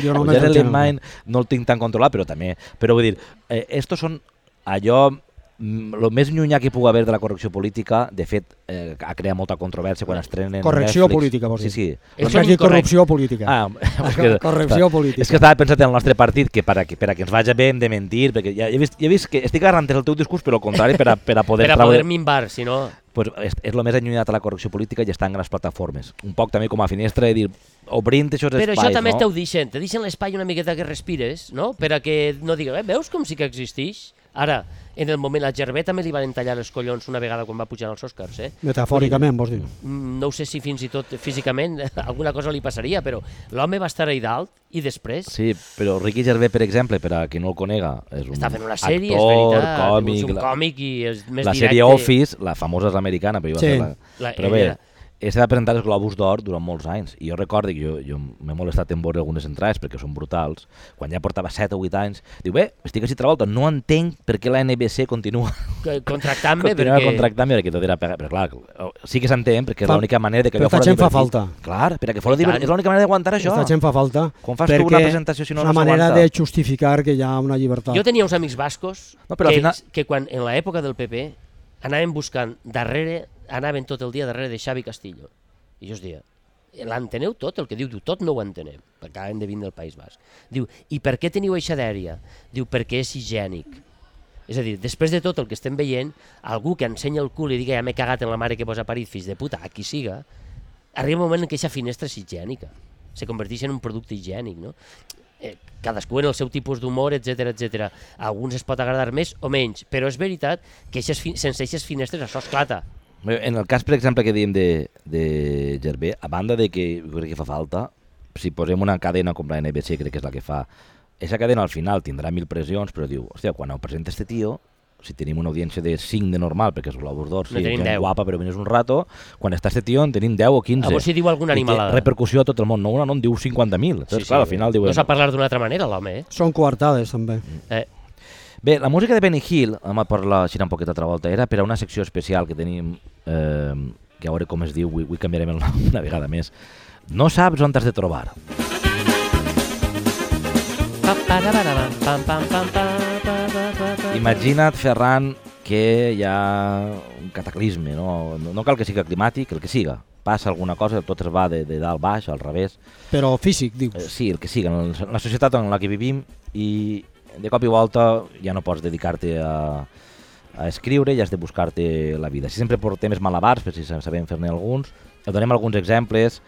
S1: Eugeni Alemany no el tinc tan controlat, però també... Però vull dir, estos són allò el més llunyà que pugui haver de la correcció política, de fet, ha creat molta controvèrsia quan estrenen
S3: correcció
S1: Netflix.
S3: política, vols dir?
S1: Sí.
S3: No s'ha dit corrupció política.
S1: Corrupció
S3: política.
S1: És que estava pensant en el nostre partit que per a que ens vagi bé hem de mentir, perquè ja he vist que estic agarrant el teu discurs, però al contrari, per a poder...
S2: Per a poder minvar, si no...
S1: Pues és el més allunyat a la correcció política i està en les plataformes. Un poc també com a finestra de dir, obrint aquests espais,
S2: però això també
S1: no?
S2: te deixen l'espai una miqueta que respires, no? Per a que no digueu, veus com sí que existeix? Ara, en el moment, a Gervé també li van tallar els collons una vegada quan va pujar als Oscars,
S3: Metafòricament, vols dir?
S2: No ho sé si fins i tot físicament alguna cosa li passaria, però l'home va estar allà dalt i després...
S1: Sí, però Ricky Gervais, per exemple, per a qui no el conega, és un
S2: està fent una sèrie,
S1: actor,
S2: és veritat,
S1: còmic,
S2: és un còmic i és més
S1: la
S2: directe.
S1: sèrie Office, la famosa és americana, però,
S3: Sí.
S1: però bé, s'ha presentat els Globus d'Or durant molts anys i jo recordo que jo m'he molestat en veure algunes entrades perquè són brutals, quan ja portava 7 o 8 anys, diu, bé, estic així altra volta, no entenc per què la NBC continua
S2: contractant-me
S1: perquè tot era però clar, sí que s'entén perquè és l'única manera de que
S3: però
S1: allò fora
S3: gent fa
S1: divertit.
S3: falta.
S1: Clar, perquè fora divertit, és l'única manera d'aguantar això.
S3: Aquesta gent fa falta
S1: Com fas tu una presentació si no
S3: és una manera
S1: s'aguanta?
S3: de justificar que hi ha una llibertat.
S2: Jo tenia uns amics bascos
S1: No, però al final...
S2: que quan en l'època del PP anaven buscant anaven tot el dia darrere de Xavi Castillo. I jo us dia, l'enteneu tot? El que diu, tot no ho entenem, perquè acaben de vindre del País Basc. Diu, i per què teniu eixa dèria? Diu, perquè és higiènic. És a dir, després de tot el que estem veient, algú que ensenya el cul i diga ja m'he cagat en la mare que posa a parir, fills de puta, a qui siga, arriba un moment en què aquesta finestra és higiènica, se converteix en un producte higiènic, no? Cadascú en el seu tipus d'humor, etc etc. A alguns es pot agradar més o menys, però és veritat que sense aquestes finestres això esclata.
S1: En el cas, per exemple, que dèiem de Gervais, a banda de que jo crec que fa falta, si posem una cadena com la NBC, crec que és la que fa, aquesta cadena al final tindrà 1000 pressions, però diu, hòstia, quan ho presenta este tio, si tenim una audiència de 5 de normal, perquè és Globus d'Or, sí, gent guapa, però vens un rato, quan està este tio en tenim 10 o 15.
S2: A veure si diu alguna animalada.
S1: Repercussió a tot el món, no en diu 50.000. Sí, clar, al final diu...
S2: No s'ha parlat d'una altra manera, l'home,
S3: Són coartades, també.
S1: Bé, la música de Benny Hill, vam parlar així un poquet altra volta, era per a una secció especial que tenim, que a veure com es diu, avui canviarem el nom una vegada més. No saps on t'has de trobar. Imagina't, Ferran, que hi ha un cataclisme, no cal que siga climàtic, el que siga. Passa alguna cosa, tot es va de dalt baix, al revés.
S3: Però físic, dius?
S1: Sí, el que siga, en la societat en la que vivim, i de cop i volta ja no pots dedicar-te a escriure i has de buscar-te la vida. Si sempre portem malabars, per si sabem fer-ne alguns, et donem alguns exemples.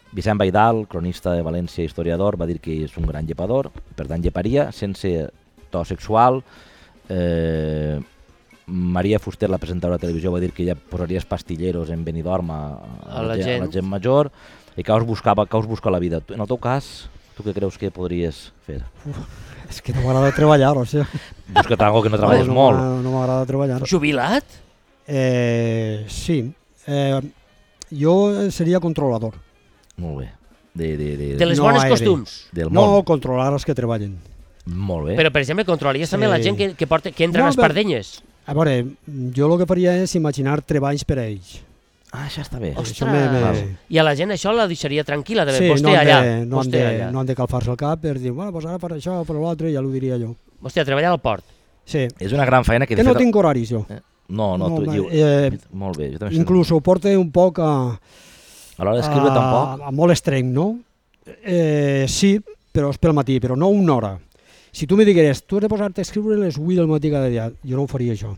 S1: Vicent Baidal, cronista de València, historiador, va dir que és un gran llepador, per tant lleparia sense to sexual. Maria Fuster, la presentadora de televisió, va dir que ja posaries pastilleros en Benidorm a la gent major. I que us busca la vida. En el teu cas, tu què creus que podries fer?
S3: És que no m'agrada treballar, o sigui.
S1: Busca't algo que no treballes molt.
S3: No m'agrada treballar.
S2: Jubilat?
S3: Sí. Jo seria controlador.
S1: Molt bé.
S2: De les bones costums?
S3: No, controlar els que treballen.
S1: Molt bé.
S2: Però, per exemple, controlaries també la gent que entra a les pardenyes?
S3: A veure, jo el que faria és imaginar treballs per a ells.
S1: Ah, això està bé.
S2: Ostres! I a la gent això la deixaria tranquil·la, de
S3: sí,
S2: vostè allà.
S3: No han de calfar-se el cap per dir, bueno, doncs ara per això o per l'altre, ja l'ho diria jo.
S2: Hòstia, treballar al port.
S3: Sí.
S1: És una gran feina que...
S3: Que no tinc horaris, jo.
S1: No, tu dius... Molt bé.
S3: Inclús ho porta un poc a...
S1: A l'hora d'escriure tampoc?
S3: A molt estreny, no? Sí, però és pel matí, però no una hora. Si tu me digueres, tu has de posar-te a escriure a les 8 del matí cada dia, jo no ho faria això,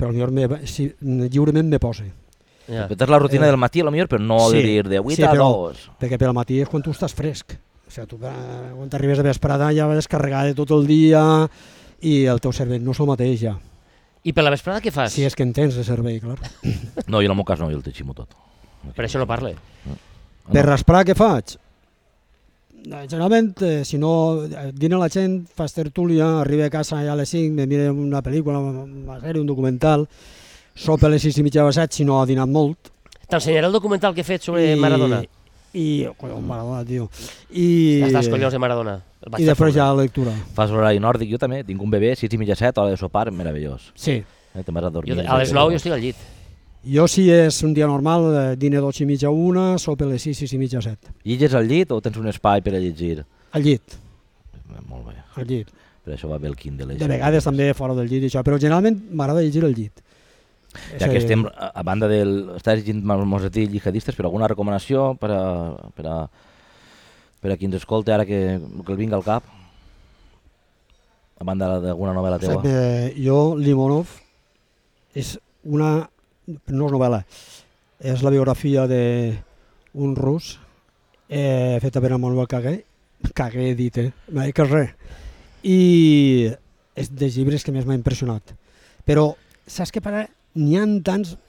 S3: però lliurement me pose.
S1: Repetes la rutina del matí, potser, però no dir de 8 a 2.
S3: Perquè pel matí és quan tu estàs fresc. O sigui, tu quan t'arribes de vesprada ja vas descarregar de tot el dia i el teu cervell no és el mateix ja.
S2: I per la vesprada què fas?
S3: Si és que en tens de servei, clar.
S1: No, jo en el meu cas no, jo el t'eiximo tot.
S2: Per això no parle.
S3: Per rasprar què faig? Generalment, si no dina la gent, fas tertúlia, arriba a casa ja a les 5, me mire una pel·lícula, una sèrie, un documental, sopa a les 6:30 o 7, si no ha dinat molt.
S2: T'ensenyaré el documental que he fet sobre Maradona.
S3: Maradona, tio.
S2: Estàs collons de Maradona.
S3: I després ja la lectura.
S1: Fas l'horari nòrdic, jo també. Tinc un bebè, 6:30, 7, hora de sopar, meravellós.
S3: Sí.
S1: Te'n vas a dormir.
S2: A les 9 jo estic al llit.
S3: Jo, si és un dia normal, dine 2:30 a 1, sopa a les 6, 6:30 a 7.
S1: Lliges al llit o tens un espai per a llegir?
S3: Al llit.
S1: Molt bé.
S3: Al llit.
S1: Per això va bé el Kindle.
S3: De vegades també fora del llit, això, però generalment m'agrada llegir el llit.
S1: Ja que estem, a banda del... Estàs llegint Mosetí Jihadistes, però alguna recomanació per a qui ens escolta ara que el vinga al cap? A banda d'alguna novel·la teua?
S3: Jo, Limonov, és una... no és novel·la, és la biografia d'un rus feta per Manuel Cagué dit, mai que res. I és dels llibres que més m'ha impressionat. Però, saps què passa? N'hi ha tants...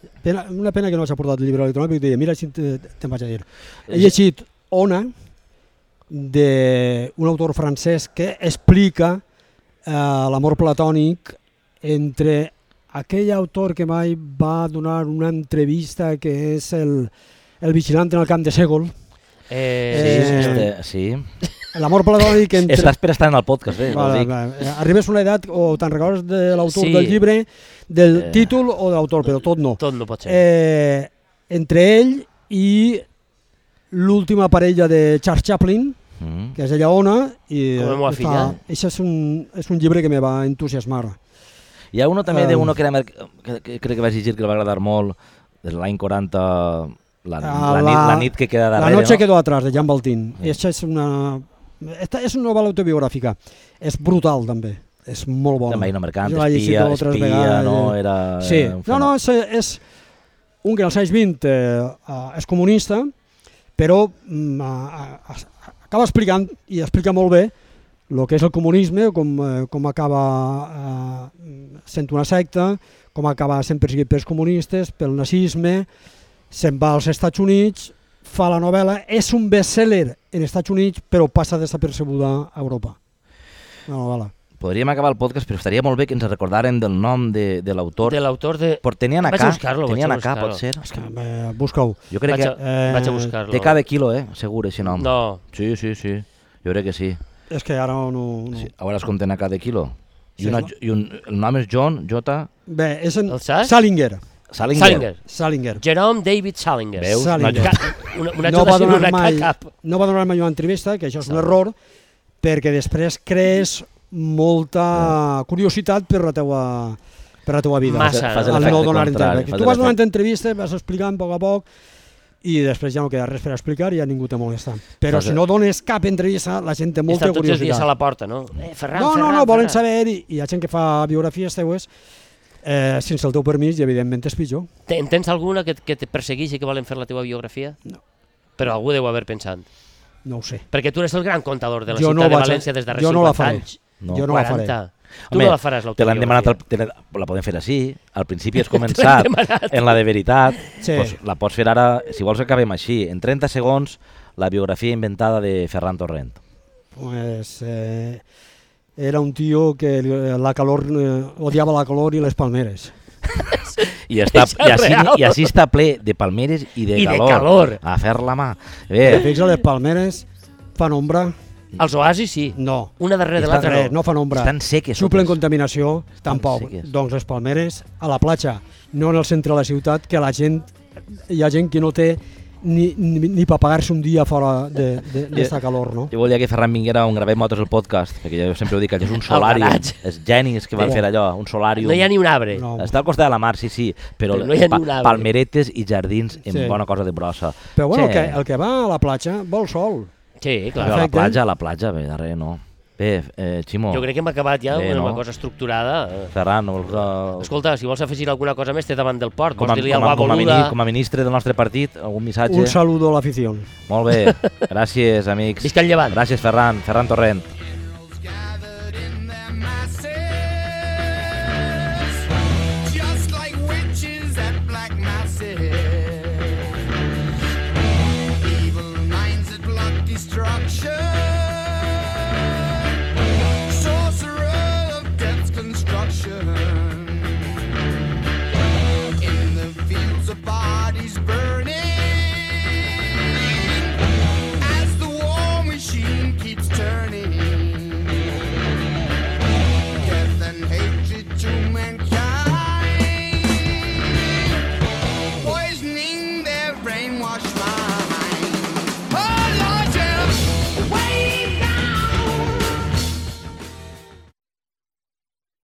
S3: Una pena que no s'ha portat el llibre electrònic, perquè deia, mira, si te'n vaig a dir. He llegit Ona, d'un autor francès que explica l'amor platònic entre aquell autor que mai va donar una entrevista, que és el vigilant en el camp de Ségol.
S1: Sí.
S3: L'amor platònic entre...
S1: Estàs per estar en el podcast,
S3: vale. Arribes a una edat o te'n recordes de l'autor del llibre, del títol o de l'autor, però tot no.
S2: Tot no pot ser.
S3: Entre ell i l'última parella de Charles Chaplin, que és ella Ona, i això és un llibre que me va entusiasmar.
S1: Hi ha uno també d'uno que crec que vas llegir que el va agradar molt, de l'any 40, la nit que queda darrere.
S3: La noche quedó atrás, de Jean Valtin. Això és una novel·la autobiogràfica. És brutal, també. És molt bona.
S1: També mercant, espia, no?
S3: Sí. No, és un que als anys 20 és comunista, però acaba explicant, i explica molt bé, el que és el comunisme, com acaba sent una secta, com acaba sent perseguit pels comunistes, pel nazisme, se'n va als Estats Units, fa la novel·la, és un best-seller en Estats Units, però passa desapercebuda a Europa. La novel·la.
S1: Podríem acabar el podcast, però estaria molt bé que ens recordaren del nom de l'autor.
S2: De l'autor de...
S1: Tenien acá, pot ser?
S3: Busca-ho.
S1: Jo crec que...
S2: Vaig a buscar-lo.
S1: Té cada quilo, segur, aquest nom.
S2: No.
S1: Sí. Jo crec que sí.
S3: És que ara no...
S1: Sí. A veure com tenen cada quilo. I el nom és John, J...
S3: Bé, és en Salinger.
S2: Jerome David Salinger.
S1: Veus?
S3: No va donar mai una entrevista, que això és un error, perquè després crees molta curiositat per la teua vida.
S2: Massa.
S3: Al no donar entrevista. Tu vas donant entrevista, vas explicant a poc a poc, i després ja no queda res per explicar i ja ningú te molesta. Però si no dones cap entrevista, la gent té molta curiositat.
S2: Estan tots els dies a la porta, no? Ferran,
S3: no, volen saber, i hi ha gent que fa biografies teues sense el teu permís, i evidentment és pitjor.
S2: Tens alguna que te persegueixi que volen fer la teva biografia?
S3: No.
S2: Però algú deu haver pensat.
S3: No ho sé.
S2: Perquè tu eres el gran contador de la ciutat de València des de 50 anys.
S3: Jo no la faré.
S2: Tu no la faràs, l'autobiografia.
S1: La podem fer així. Al principi has començat en la de veritat. La pots fer ara, si vols acabem així. En 30 segons, la biografia inventada de Ferran Torrent.
S3: Pues... era un tío que odiava la calor i les palmeres.
S1: I així està ple de palmeres i de calor. A fer la mà.
S3: Fixa, les palmeres fan ombra.
S2: Els oasis sí.
S3: No.
S2: Una darrere de l'altra
S3: no fan ombra.
S1: Estan seques.
S3: Suplen contaminació, tampoc. Doncs les palmeres a la platja, no en el centre de la ciutat, que hi ha gent que no té ni per pagar-se un dia fora d'esta calor, no?
S1: Jo volia que Ferran vinguera on gravem nosaltres el podcast, perquè jo sempre ho dic, que és un solàrium, els genis que van fer allò, un solàrium.
S2: No hi ha ni un arbre.
S1: Està al costat de la mar, sí, però palmeretes i jardins en bona cosa de brossa.
S3: Però bueno, el que va a la platja vol sol.
S2: Sí, clar.
S1: A la platja, bé, darrere no. Bé, Ximo.
S2: Jo crec que hem acabat ja una cosa estructurada.
S1: Ferran,
S2: escolta, si vols afegir alguna cosa més, té davant del port. Vols dir-li alguna boluda?
S1: Com a ministre del nostre partit, algun missatge?
S3: Un saludo a l'afició.
S1: Molt bé, gràcies, amics.
S2: Visca el Llevant.
S1: Gràcies, Ferran Torrent.